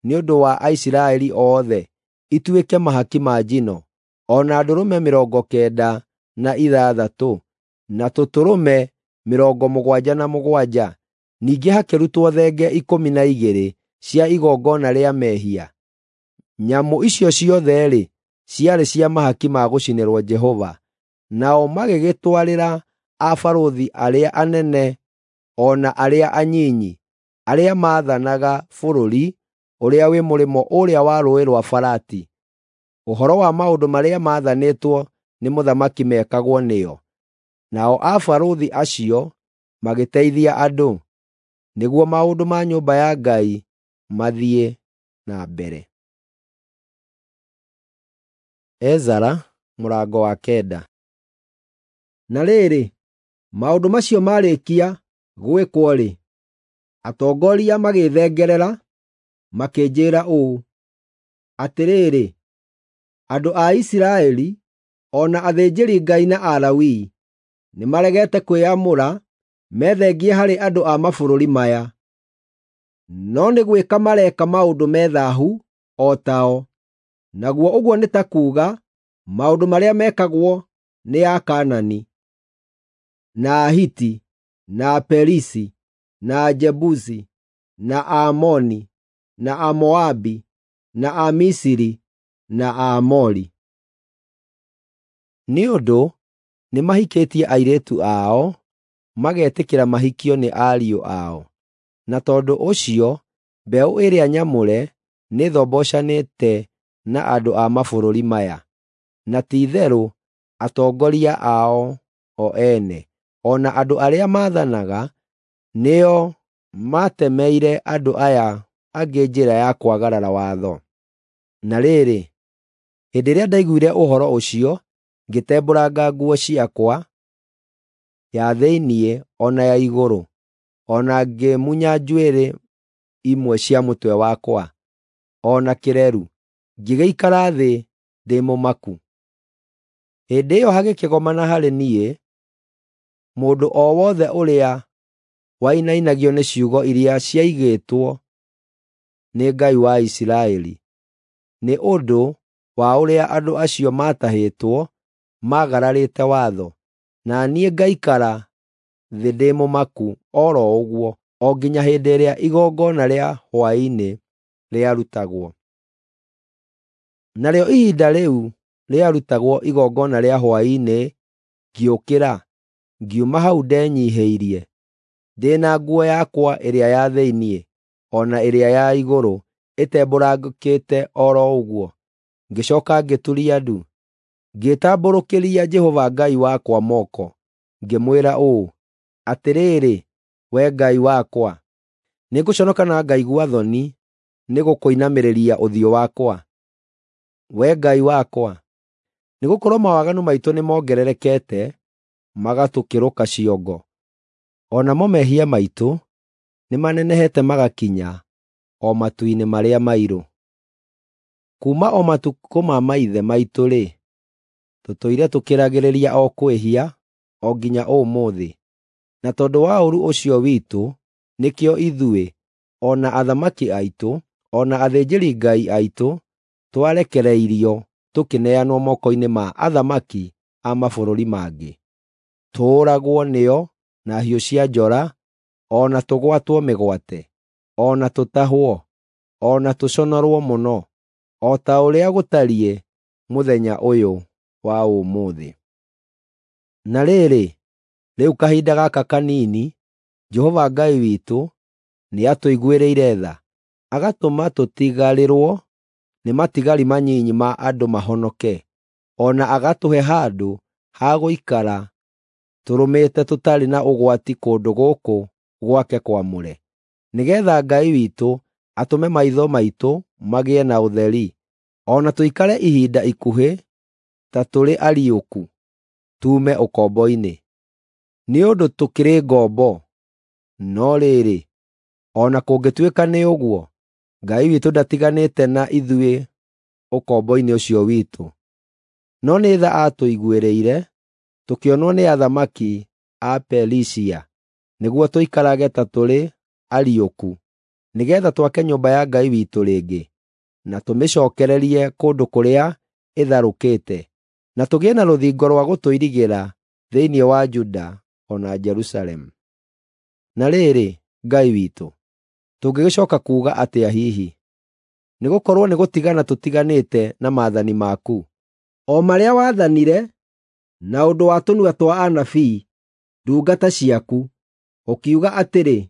nĩ ũndũ wa Aisiraeli othe, ituĩke mahaki ma njino, o na ndũrũme mĩrongo kenda na ithathatũ, na tũtũrũme mĩrongo mũgwanja na mũgwanja. Ningĩ hakĩrutwo thenge ikũmi na igĩrĩ cia igongona rĩa mehia. Nyamũ icio ciothe-rĩ, ciarĩ cia mahaki ma gũcinĩrwo Jehova. Nao magĩgĩtwarĩra abarũthi arĩa anene o na arĩa anyinyi, arĩa maathanaga bũrũri ũrĩa wĩ mũrĩmo ũrĩa wa Rũũĩ rwa Farati, ũhoro wa maũndũ marĩa maathanĩtwo nĩ mũthamaki mekagwo nĩo. Nao abarũthi acio magĩteithia andũ, nĩguo maũndũ ma nyũmba ya Ngai mathiĩ na mbere. Ezara mũrango wa kenda. Na rĩrĩ, maũndũ macio marĩkia gwĩkwo-rĩ, atongoria magĩthengerera makĩnjĩĩra ũũ, “Atĩrĩrĩ, andũ a Isiraeli, o na athĩnjĩri-Ngai na Alawii, nĩmaregete kwĩyamũra methengie harĩ andũ a mabũrũri maya, no nĩ gwĩka mareka maũndũ me thaahu o tao, naguo ũguo nĩ ta kuuga maũndũ marĩa mekagwo nĩ Akaanani, na Ahiti, na Aperisi, na Ajebusi, na Aamoni, na Amoabi, na Amisiri, na Aamori.” Nĩ ũndũ nĩmahikĩtie airĩtu ao, magetĩkĩra mahikio nĩ ariũ ao. Na tondũ ũcio mbeũ ĩrĩa nyamũre nĩthombocanĩte na andũ a mabũrũri maya, na ti-itherũ atongoria ao o ene, o na andũ arĩa maathanaga, nĩo maatemeire andũ aya angĩ njĩra ya kwagarara watho. Na rĩrĩ, Hĩndĩ ĩrĩa ndaiguire ũhoro ũcio, ngĩtembũranga nguo ciakwa, ya thĩinĩ o na ya igũrũ, o na ngĩmunya njuĩrĩ imwe cia mũtwe wakwa, o na kĩreru, ngĩgĩikara thĩ ndĩ mũmaku. Hĩndĩ ĩyo hagĩkĩgomana harĩ niĩ mũndũ o wothe ũrĩa wainainagio nĩ ciugo iria ciaigĩtwo nĩ Ngai wa Isiraeli, nĩ ũndũ wa ũrĩa andũ acio maatahĩtwo maagararĩte watho, na niĩ ngaikara thĩ ndĩ mũmaku o ro ũguo o nginya hĩndĩ ĩrĩa igongona rĩa hwaĩ-inĩ rĩarutagwo. Narĩo ihinda rĩu rĩarutagwo igongona rĩa hwaĩ-inĩ, ngĩũkĩra, ngiuma hau ndenyiihĩirie, ndĩ na nguo yakwa ĩrĩa ya thĩinĩ o na ĩrĩa ya igũrũ ĩtembũrangĩte o ro ũguo. Ngĩcooka ngĩturia ndu, ngĩtambũrũkĩria Jehova Ngai wakwa moko, ngĩmwĩra ũũ, “Atĩrĩrĩ, Wee Ngai wakwa, nĩngũconoka na ngaigua thoni nĩgũkũinamĩrĩria ũthiũ wakwa, Wee Ngai wakwa, nĩgũkorwo mawaganu maitũ nĩmongererekete magatũkĩrũka ciongo, o namo mehia maitũ nĩmanenehete magakinya o matu-inĩ marĩa mairũ. Kuuma o matukũ ma maithe maitũ-rĩ, tũtũire tũkĩragĩrĩria o kwĩhia o nginya ũmũthĩ, na tondũ wa ũũru ũcio witũ nĩkĩo ithuĩ, o na athamaki aitũ, o na athĩnjĩri-Ngai aitũ twarekereirio tũkĩneanwo moko-inĩ ma athamaki a mabũrũri mangĩ, tũũragwo nĩo na hiũ cia njora, o na tũgwatwo mĩgwate, o na tũtahwo, o na tũconorwo mũno, o ta ũrĩa gũtariĩ mũthenya ũyũ wa ũmũthĩ. Na rĩrĩ, rĩu kahinda gaka kanini, Jehova Ngai witũ nĩatũiguĩrĩire tha, agatũma tũtigarĩrwo nĩ matigari manyinyi ma andũ mahonoke, o na agatũhe handũ ha gũikara tũrũmĩte tũtarĩ na ũgwati kũndũ gũkũ gwake kwamũre, nĩgeetha Ngai witũ atũme maitho maitũ magĩe na ũtheri, o na tũikare ihinda ikuhĩ ta tũrĩ ariũku tuume ũkombo-inĩ. Nĩ ũndũ tũkĩrĩ ngombo, no rĩrĩ, o na kũngĩtuĩka nĩ ũguo, Ngai witũ ndatiganĩte na ithuĩ ũkombo-inĩ ũcio witũ, no nĩ tha aatũiguĩrĩire, tũkĩonwo nĩ athamaki a Perisia, nĩguo tũikarage ta tũrĩ ariũku, nĩgeetha twake nyũmba ya Ngai witũ rĩngĩ, na tũmĩcookererie kũndũ kũrĩa ĩtharũkĩte, na tũgĩe na rũthingo rwa gũtũirigĩra thĩinĩ wa Juda o na Jerusalemu. Na rĩrĩ, Ngai witũ, tũngĩgĩcooka kuuga atĩa hihi? Nĩgũkorwo nĩgũtigana tũtiganĩte na maathani maku, o marĩa waathanire na ũndũ wa tũnua twa anabii, ndungata ciaku, ũkiuga atĩrĩ,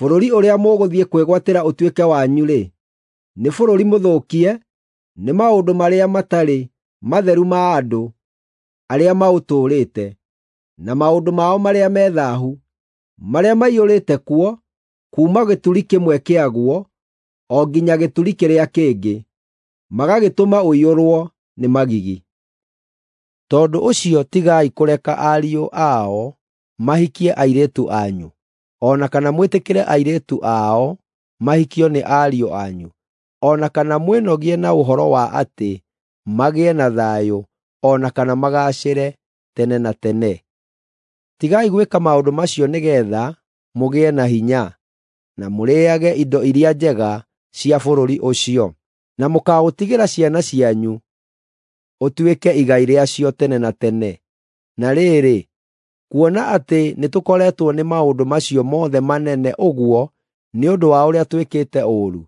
‘Bũrũri ũrĩa mũgũthiĩ kwĩgwatĩra ũtuĩke wanyu-rĩ, nĩ bũrũri mũthũkie nĩ maũndũ marĩa matarĩ matheru ma andũ arĩa maũtũũrĩte, na maũndũ mao marĩa me thaahu, marĩa maiyũrĩte kuo kuuma gĩturi kĩmwe kĩaguo o nginya gĩturi kĩrĩa kĩngĩ, magagĩtũma ũiyũrwo nĩ magigi. Tondũ ũcio tigai kũreka ariũ ao mahikie airĩtu anyu, o na kana mwĩtĩkĩre airĩtu ao mahikio nĩ ariũ anyu, o na kana mwĩnogie na ũhoro wa atĩ magĩe na thayũ o na kana magaacĩre tene na tene. Tigai gwĩka maũndũ macio nĩgeetha mũgĩe na hinya, na mũrĩĩage indo iria njega cia bũrũri ũcio, na mũkaũtigĩra ciana cianyu ũtuĩke igai rĩacio tene na tene. Na rĩrĩ, kuona atĩ nĩtũkoretwo nĩ maũndũ macio mothe manene ũguo nĩ ũndũ wa ũrĩa twĩkĩte ũũru,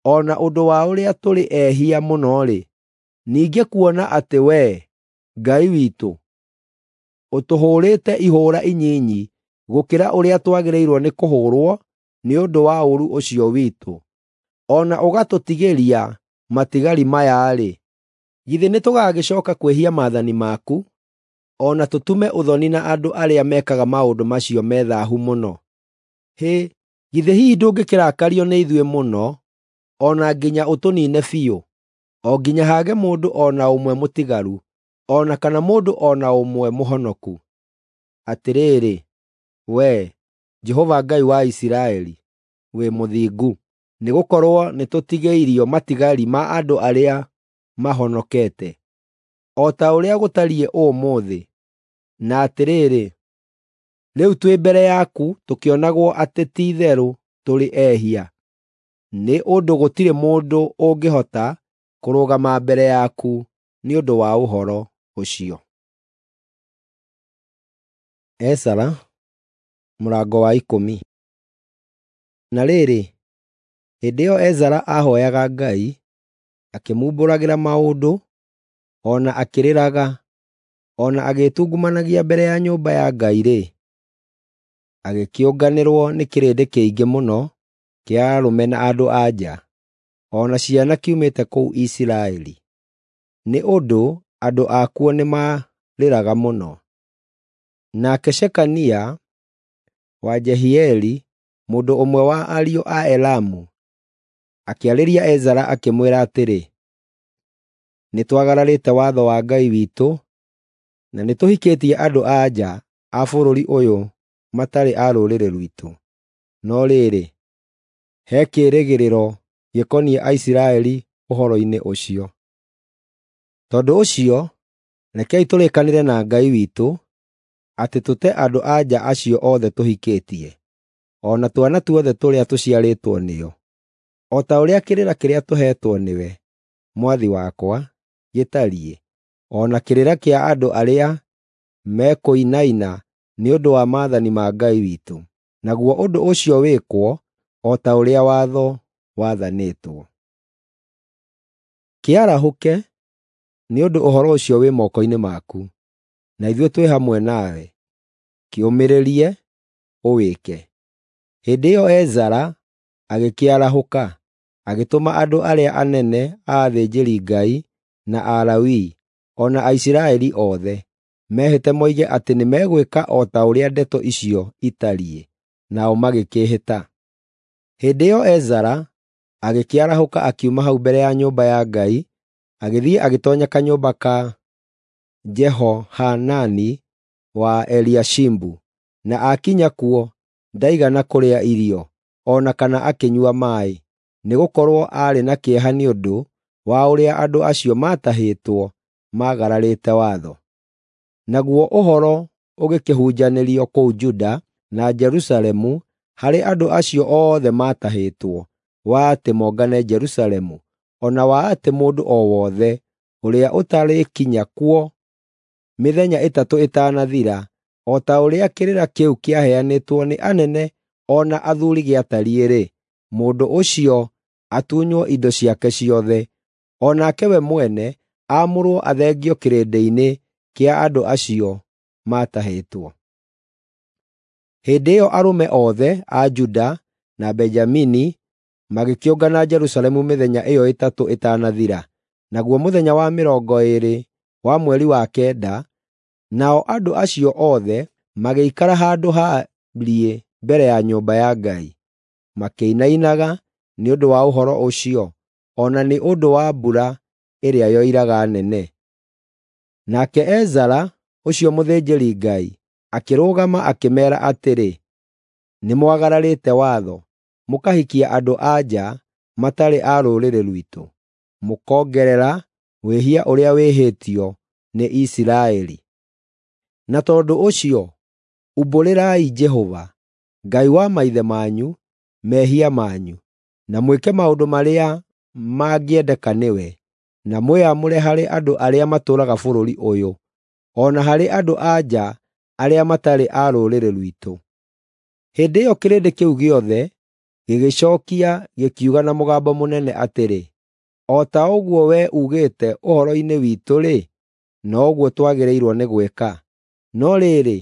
o na ũndũ wa ũrĩa tũrĩ ehia mũno-rĩ, ningĩ kuona atĩ Wee, Ngai witũ, ũtũhũũrĩte ihũũra inyinyi gũkĩra ũrĩa twagĩrĩirwo nĩ kũhũũrwo nĩ ũndũ wa ũũru ũcio witũ, o na ũgatũtigĩria matigari maya-rĩ, githĩ nĩtũgagĩcooka kwĩhia maathani maku, o na tũtume ũthoni na andũ arĩa mekaga maũndũ macio me thaahu mũno? Hĩ, githĩ hihi ndũngĩkĩrakario nĩ ithuĩ mũno, o na nginya ũtũniine biũ? o nginya haage mũndũ o na ũmwe mũtigaru, o na kana mũndũ o na ũmwe mũhonoku. Atĩrĩrĩ, wee, Jehova Ngai wa Isiraeli, wĩ mũthingu, nĩgũkorwo nĩtũtigĩirio matigari ma andũ arĩa mahonokete, o ta ũrĩa gũtariĩ ũmũthĩ. Na atĩrĩrĩ, rĩu twĩ mbere yaku tũkĩonagwo atĩ ti-itherũ tũrĩ ehia, nĩ ũndũ gũtirĩ mũndũ ũngĩhota kũrũgama mbere yaku nĩ ũndũ wa ũhoro ũcio. Ezara mũrango wa ikũmi. Na rĩrĩ, hĩndĩ ĩyo Ezara aahooyaga Ngai, akĩmumbũragĩra maũndũ, o na akĩrĩraga, o na agĩĩtungumanagia mbere ya nyũmba ya Ngai-rĩ, agĩkĩũnganĩrwo nĩ kĩrĩndĩ kĩingĩ mũno kĩa arũme na andũ-a-nja, o na ciana kiumĩte kũu Isiraeli, nĩ ũndũ andũ akuo nĩmarĩraga mũno. Nake Shekania wa Jehieli, mũndũ ũmwe wa ariũ a Elamu, akĩarĩria Ezara akĩmwĩra atĩrĩ, “Nĩtwagararĩte watho wa Ngai witũ, na nĩtũhikĩtie andũ-a-nja a bũrũri ũyũ matarĩ a rũrĩrĩ rwitũ. No rĩrĩ, he kĩĩrĩgĩrĩro gĩkoniĩ Aisiraeli ũhoro-inĩ ũcio. Tondũ ũcio, rekei tũrĩkanĩre na Ngai witũ atĩ tũte andũ-a-nja acio othe tũhikĩtie, o na twana tuothe tũrĩa tũciarĩtwo nĩo, o ta ũrĩa kĩrĩra kĩrĩa tũheetwo nĩwe, mwathi wakwa, gĩtariĩ, o na kĩrĩra kĩa andũ arĩa mekũinaina nĩ ũndũ wa maathani ma Ngai witũ. Naguo ũndũ ũcio wĩkwo o ta ũrĩa watho wathanĩtwo. Kĩarahũke, nĩ ũndũ ũhoro ũcio wĩ moko-inĩ maku, na ithuĩ twĩ hamwe nawe. Kĩũmĩrĩrie, ũwĩke.” Hĩndĩ ĩyo Ezara agĩkĩarahũka, agĩtũma andũ arĩa anene a athĩnjĩri-Ngai na Alawii, o na Aisiraeli othe, mehĩte moige atĩ nĩmegwĩka o ta ũrĩa ndeto icio itariĩ, nao magĩkĩĩhĩta. Hĩndĩ ĩyo Ezara agĩkĩarahũka akiuma hau mbere ya nyũmba ya Ngai, agĩthiĩ agĩtoonya kanyũmba ka Jehohanani wa Eliashibu, na aakinya kuo ndaigana kũrĩa irio, o na kana akĩnyua maaĩ, nĩgũkorwo aarĩ na kĩeha nĩ ũndũ wa ũrĩa andũ acio maatahĩtwo maagararĩte watho. Naguo ũhoro ũgĩkĩhunjanĩrio kũu Juda na Jerusalemu harĩ andũ acio othe maatahĩtwo, wa atĩ mongane Jerusalemu, o na wa atĩ mũndũ o wothe ũrĩa ũtarĩkinya kuo mĩthenya ĩtatũ ĩtanathira, o ta ũrĩa kĩrĩra kĩu kĩaheanĩtwo nĩ anene o na athuuri gĩatariĩ-rĩ, mũndũ ũcio atunywo indo ciake ciothe, o nake we mwene aamũrwo athengio kĩrĩndĩ-inĩ kĩa andũ acio maatahĩtwo. Hĩndĩ ĩyo arũme othe a Juda na Benjamini magĩkĩũngana Jerusalemu mĩthenya ĩyo ĩtatũ ĩtanathira, naguo mũthenya wa mĩrongo ĩĩrĩ wa mweri wa kenda, nao andũ acio othe magĩikara handũ haariĩ mbere ya nyũmba ya Ngai, makĩinainaga nĩ ũndũ wa ũhoro ũcio, o na nĩ ũndũ wa mbura ĩrĩa yoiraga nene. Nake Ezara ũcio mũthĩnjĩri-Ngai akĩrũgama akĩmeera atĩrĩ, “Nĩmwagararĩte watho, mũkahikia andũ-a-nja matarĩ a rũrĩrĩ rwitũ, mũkongerera wĩhia ũrĩa wĩhĩtio nĩ Isiraeli. Na tondũ ũcio, umbũrĩrai Jehova, Ngai wa maithe manyu, mehia manyu, na mwĩke maũndũ marĩa mangĩendeka nĩwe, na mwĩamũre harĩ andũ arĩa matũũraga bũrũri ũyũ, o na harĩ andũ-a-nja arĩa matarĩ a rũrĩrĩ rwitũ.” Hĩndĩ ĩyo kĩrĩndĩ kĩu gĩothe gĩgĩcookia gĩkiuga na mũgambo mũnene atĩrĩ, “O ta ũguo wee uugĩte ũhoro-inĩ witũ-rĩ, noguo twagĩrĩirwo nĩ gwĩka. No rĩrĩ,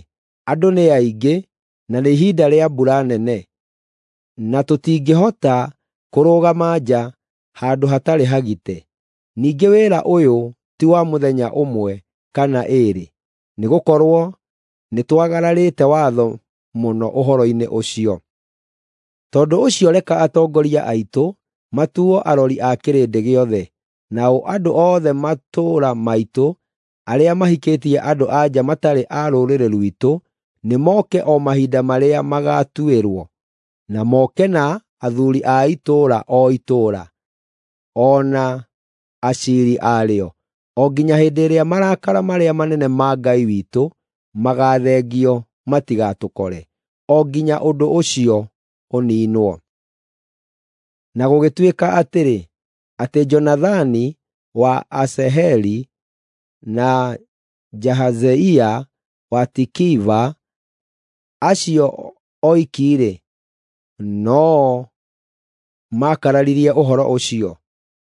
andũ nĩ aingĩ na nĩ ihinda rĩa mbura nene, na tũtingĩhota kũrũgama nja handũ hatarĩ hagite. Ningĩ wĩra ũyũ ti wa mũthenya ũmwe kana ĩĩrĩ, nĩgũkorwo nĩtwagararĩte watho mũno ũhoro-inĩ ũcio. Tondũ ũcio reka atongoria aitũ matuo arori a kĩrĩndĩ gĩothe, Nao andũ othe matũũra maitũ arĩa mahikĩtie andũ-a-nja matarĩ a rũrĩrĩ rwitũ nĩmoke o mahinda marĩa magaatuĩrwo, na moke na athuuri a itũũra o itũũra, o na aciiri arĩo, o nginya hĩndĩ ĩrĩa marakara marĩa manene ma Ngai witũ magaathengio matigatũkore, o nginya ũndũ ũcio ũniinwo. Na gũgĩtuĩka atĩrĩ, atĩ Jonathani wa Asaheli na Jahazeia wa Tikiva, acio oiki-rĩ, no-o maakararirie ũhoro ũcio,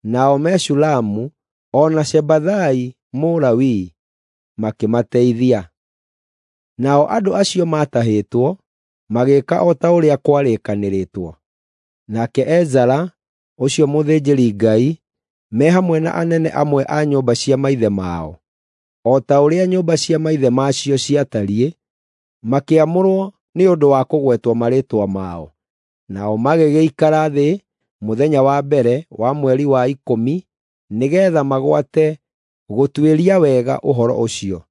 nao Meshulamu o na Shabathai Mũlawii makĩmateithia. Nao andũ acio maatahĩtwo magĩĩka o ta ũrĩa kwarĩkanĩrĩtwo. Nake Ezara ũcio mũthĩnjĩri-Ngai me hamwe na anene amwe a nyũmba cia maithe mao, o ta ũrĩa nyũmba cia maithe macio ciatariĩ, makĩamũrwo nĩ ũndũ wa kũgwetwo marĩĩtwa mao. Nao magĩgĩikara thĩ mũthenya wa mbere wa mweri wa ikũmi nĩgeetha magwate gũtuĩria wega ũhoro ũcio.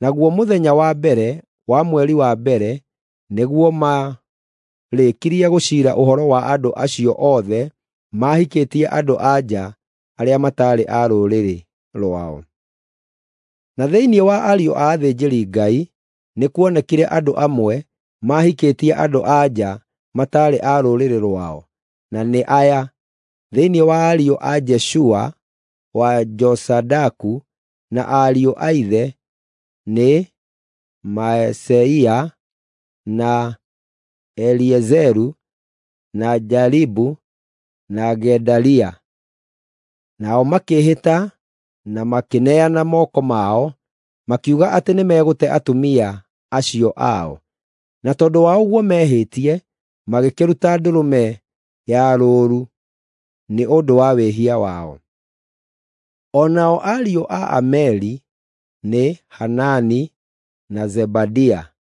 Naguo mũthenya wa mbere wa mweri wa mbere nĩguo maarĩkirie gũciira ũhoro wa andũ acio othe maahikĩtie andũ-a-nja arĩa mataarĩ a rũrĩrĩ rwao. Na thĩinĩ wa ariũ a athĩnjĩri-Ngai nĩkuonekire andũ amwe maahikĩtie andũ-a-nja mataarĩ a rũrĩrĩ rwao, na nĩ aya: thĩinĩ wa ariũ a Jeshua wa Jozadaku na ariũ a ithe nĩ Maaseia na Eliezeru na Jaribu na Gedalia. Nao makĩĩhĩta na makĩneana moko mao, makiuga atĩ nĩmegũte atumia acio ao. Na tondũ wa ũguo mehĩtie, magĩkĩruta ndũrũme ya rũũru nĩ ũndũ wa wĩhia wao. O nao ariũ a Ameli nĩ Hanani na Zebadia.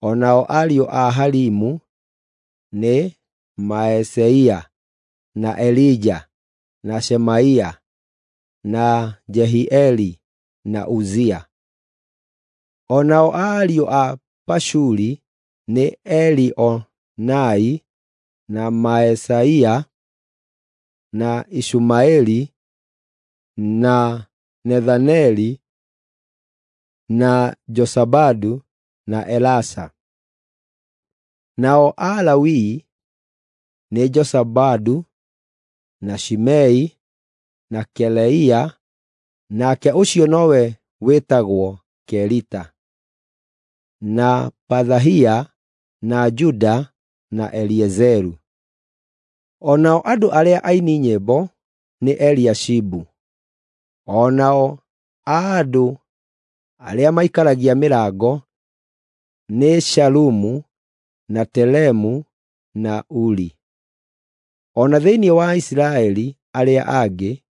O nao ariũ a Harimu nĩ Maaseia na Elija na Shemaia na Jehieli na Uzia. O nao ariũ a Pashuri nĩ Elioenai na Maaseia na Ishumaeli na Nethaneli na Josabadu na Elasa. Nao Alawii nĩ Josabadu na Shimei na Keleia, nake ũcio nowe wĩtagwo Kelita, na Pathahia na Juda na Eliezeru. O nao andũ arĩa aini nyĩmbo nĩ Eliashibu. O nao andũ arĩa maikaragia mĩrango nĩ Shalumu na Telemu na Uri. O na thĩinĩ wa Isiraeli arĩa angĩ,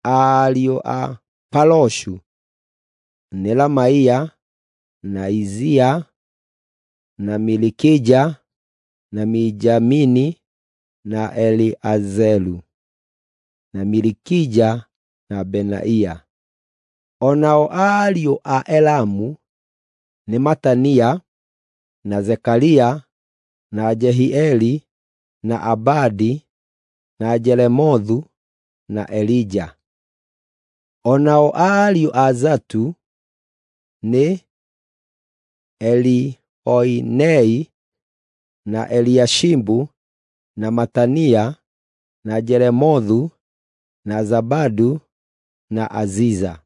ariũ a Paroshu nĩ Ramaia na Izia na Milikija na Mijamini na Eliazelu na Milikija na Benaia. O nao ariũ a Elamu nĩ Matania na Zekaria na Jehieli na Abadi na Jeremothu na Elija. O nao ariũ a Zatu nĩ Elioenai na Eliashibu na Matania na Jeremothu na Zabadu na Aziza.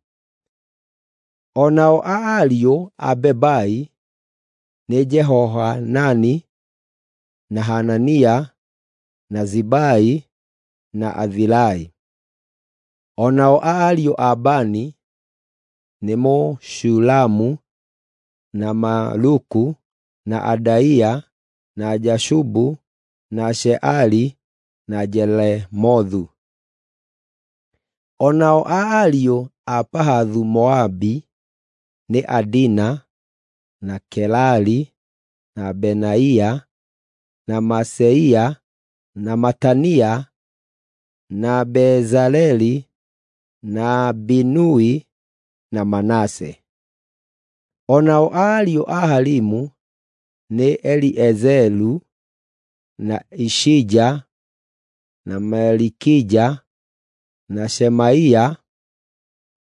O nao ariũ a Bebai nĩ Jehohanani na Hanania na Zibai na Athilai. O nao ariũ a Bani nĩ Meshulamu na Maluku na Adaia na Jashubu na Sheali na Jelemothu. O nao ariũ a Pahathu-Moabi nĩ Adina na Kelali na Benaia na Maaseia na Matania na Bezaleli na Binui na Manase. O nao ariũ a Harimu nĩ Eliezeri na Ishija na Malikija na Shemaia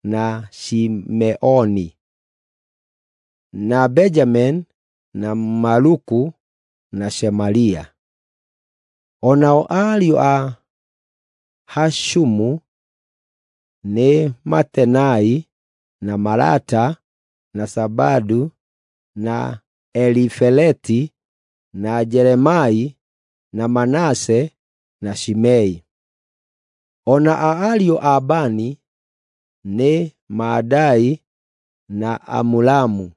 na Shimeoni na Benjamini na Maluku na Shemaria. O nao ariũ a Hashumu nĩ Matenai na Malata na Zabadu na Elifeleti na Jeremai na Manase na Shimei. O na ariũ a Bani nĩ Maadai na Amuramu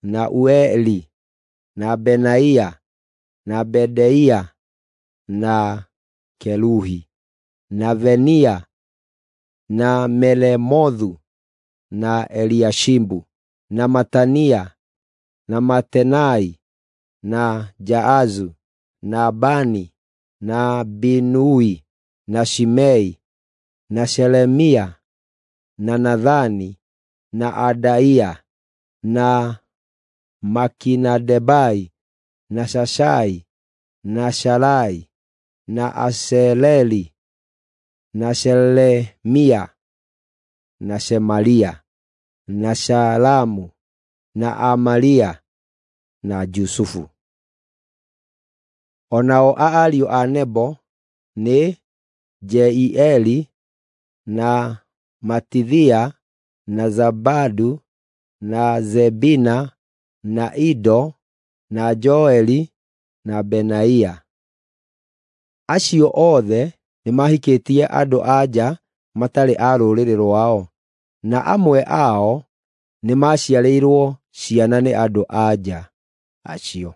na Ueli na Benaia na Bedeia na Keluhi na Venia na Melemothu na Eliashibu na Matania na Matenai na Jaazu na Bani na Binui na Shimei na Shelemia na Nathani na Adaia na Makinadebai na Shashai na Shalai na Aseleli na Shelemia na Shemaria na Shalamu na Amaria na Jusufu. O nao ariũ a Nebo nĩ Jeieli na Matithia na Zabadu na Zebina na Ido na Joeli na Benaia. Acio othe nĩmahikĩtie andũ-a-nja matarĩ a rũrĩrĩ rwao, na amwe ao nĩmaciarĩirwo ciana nĩ andũ-a-nja acio.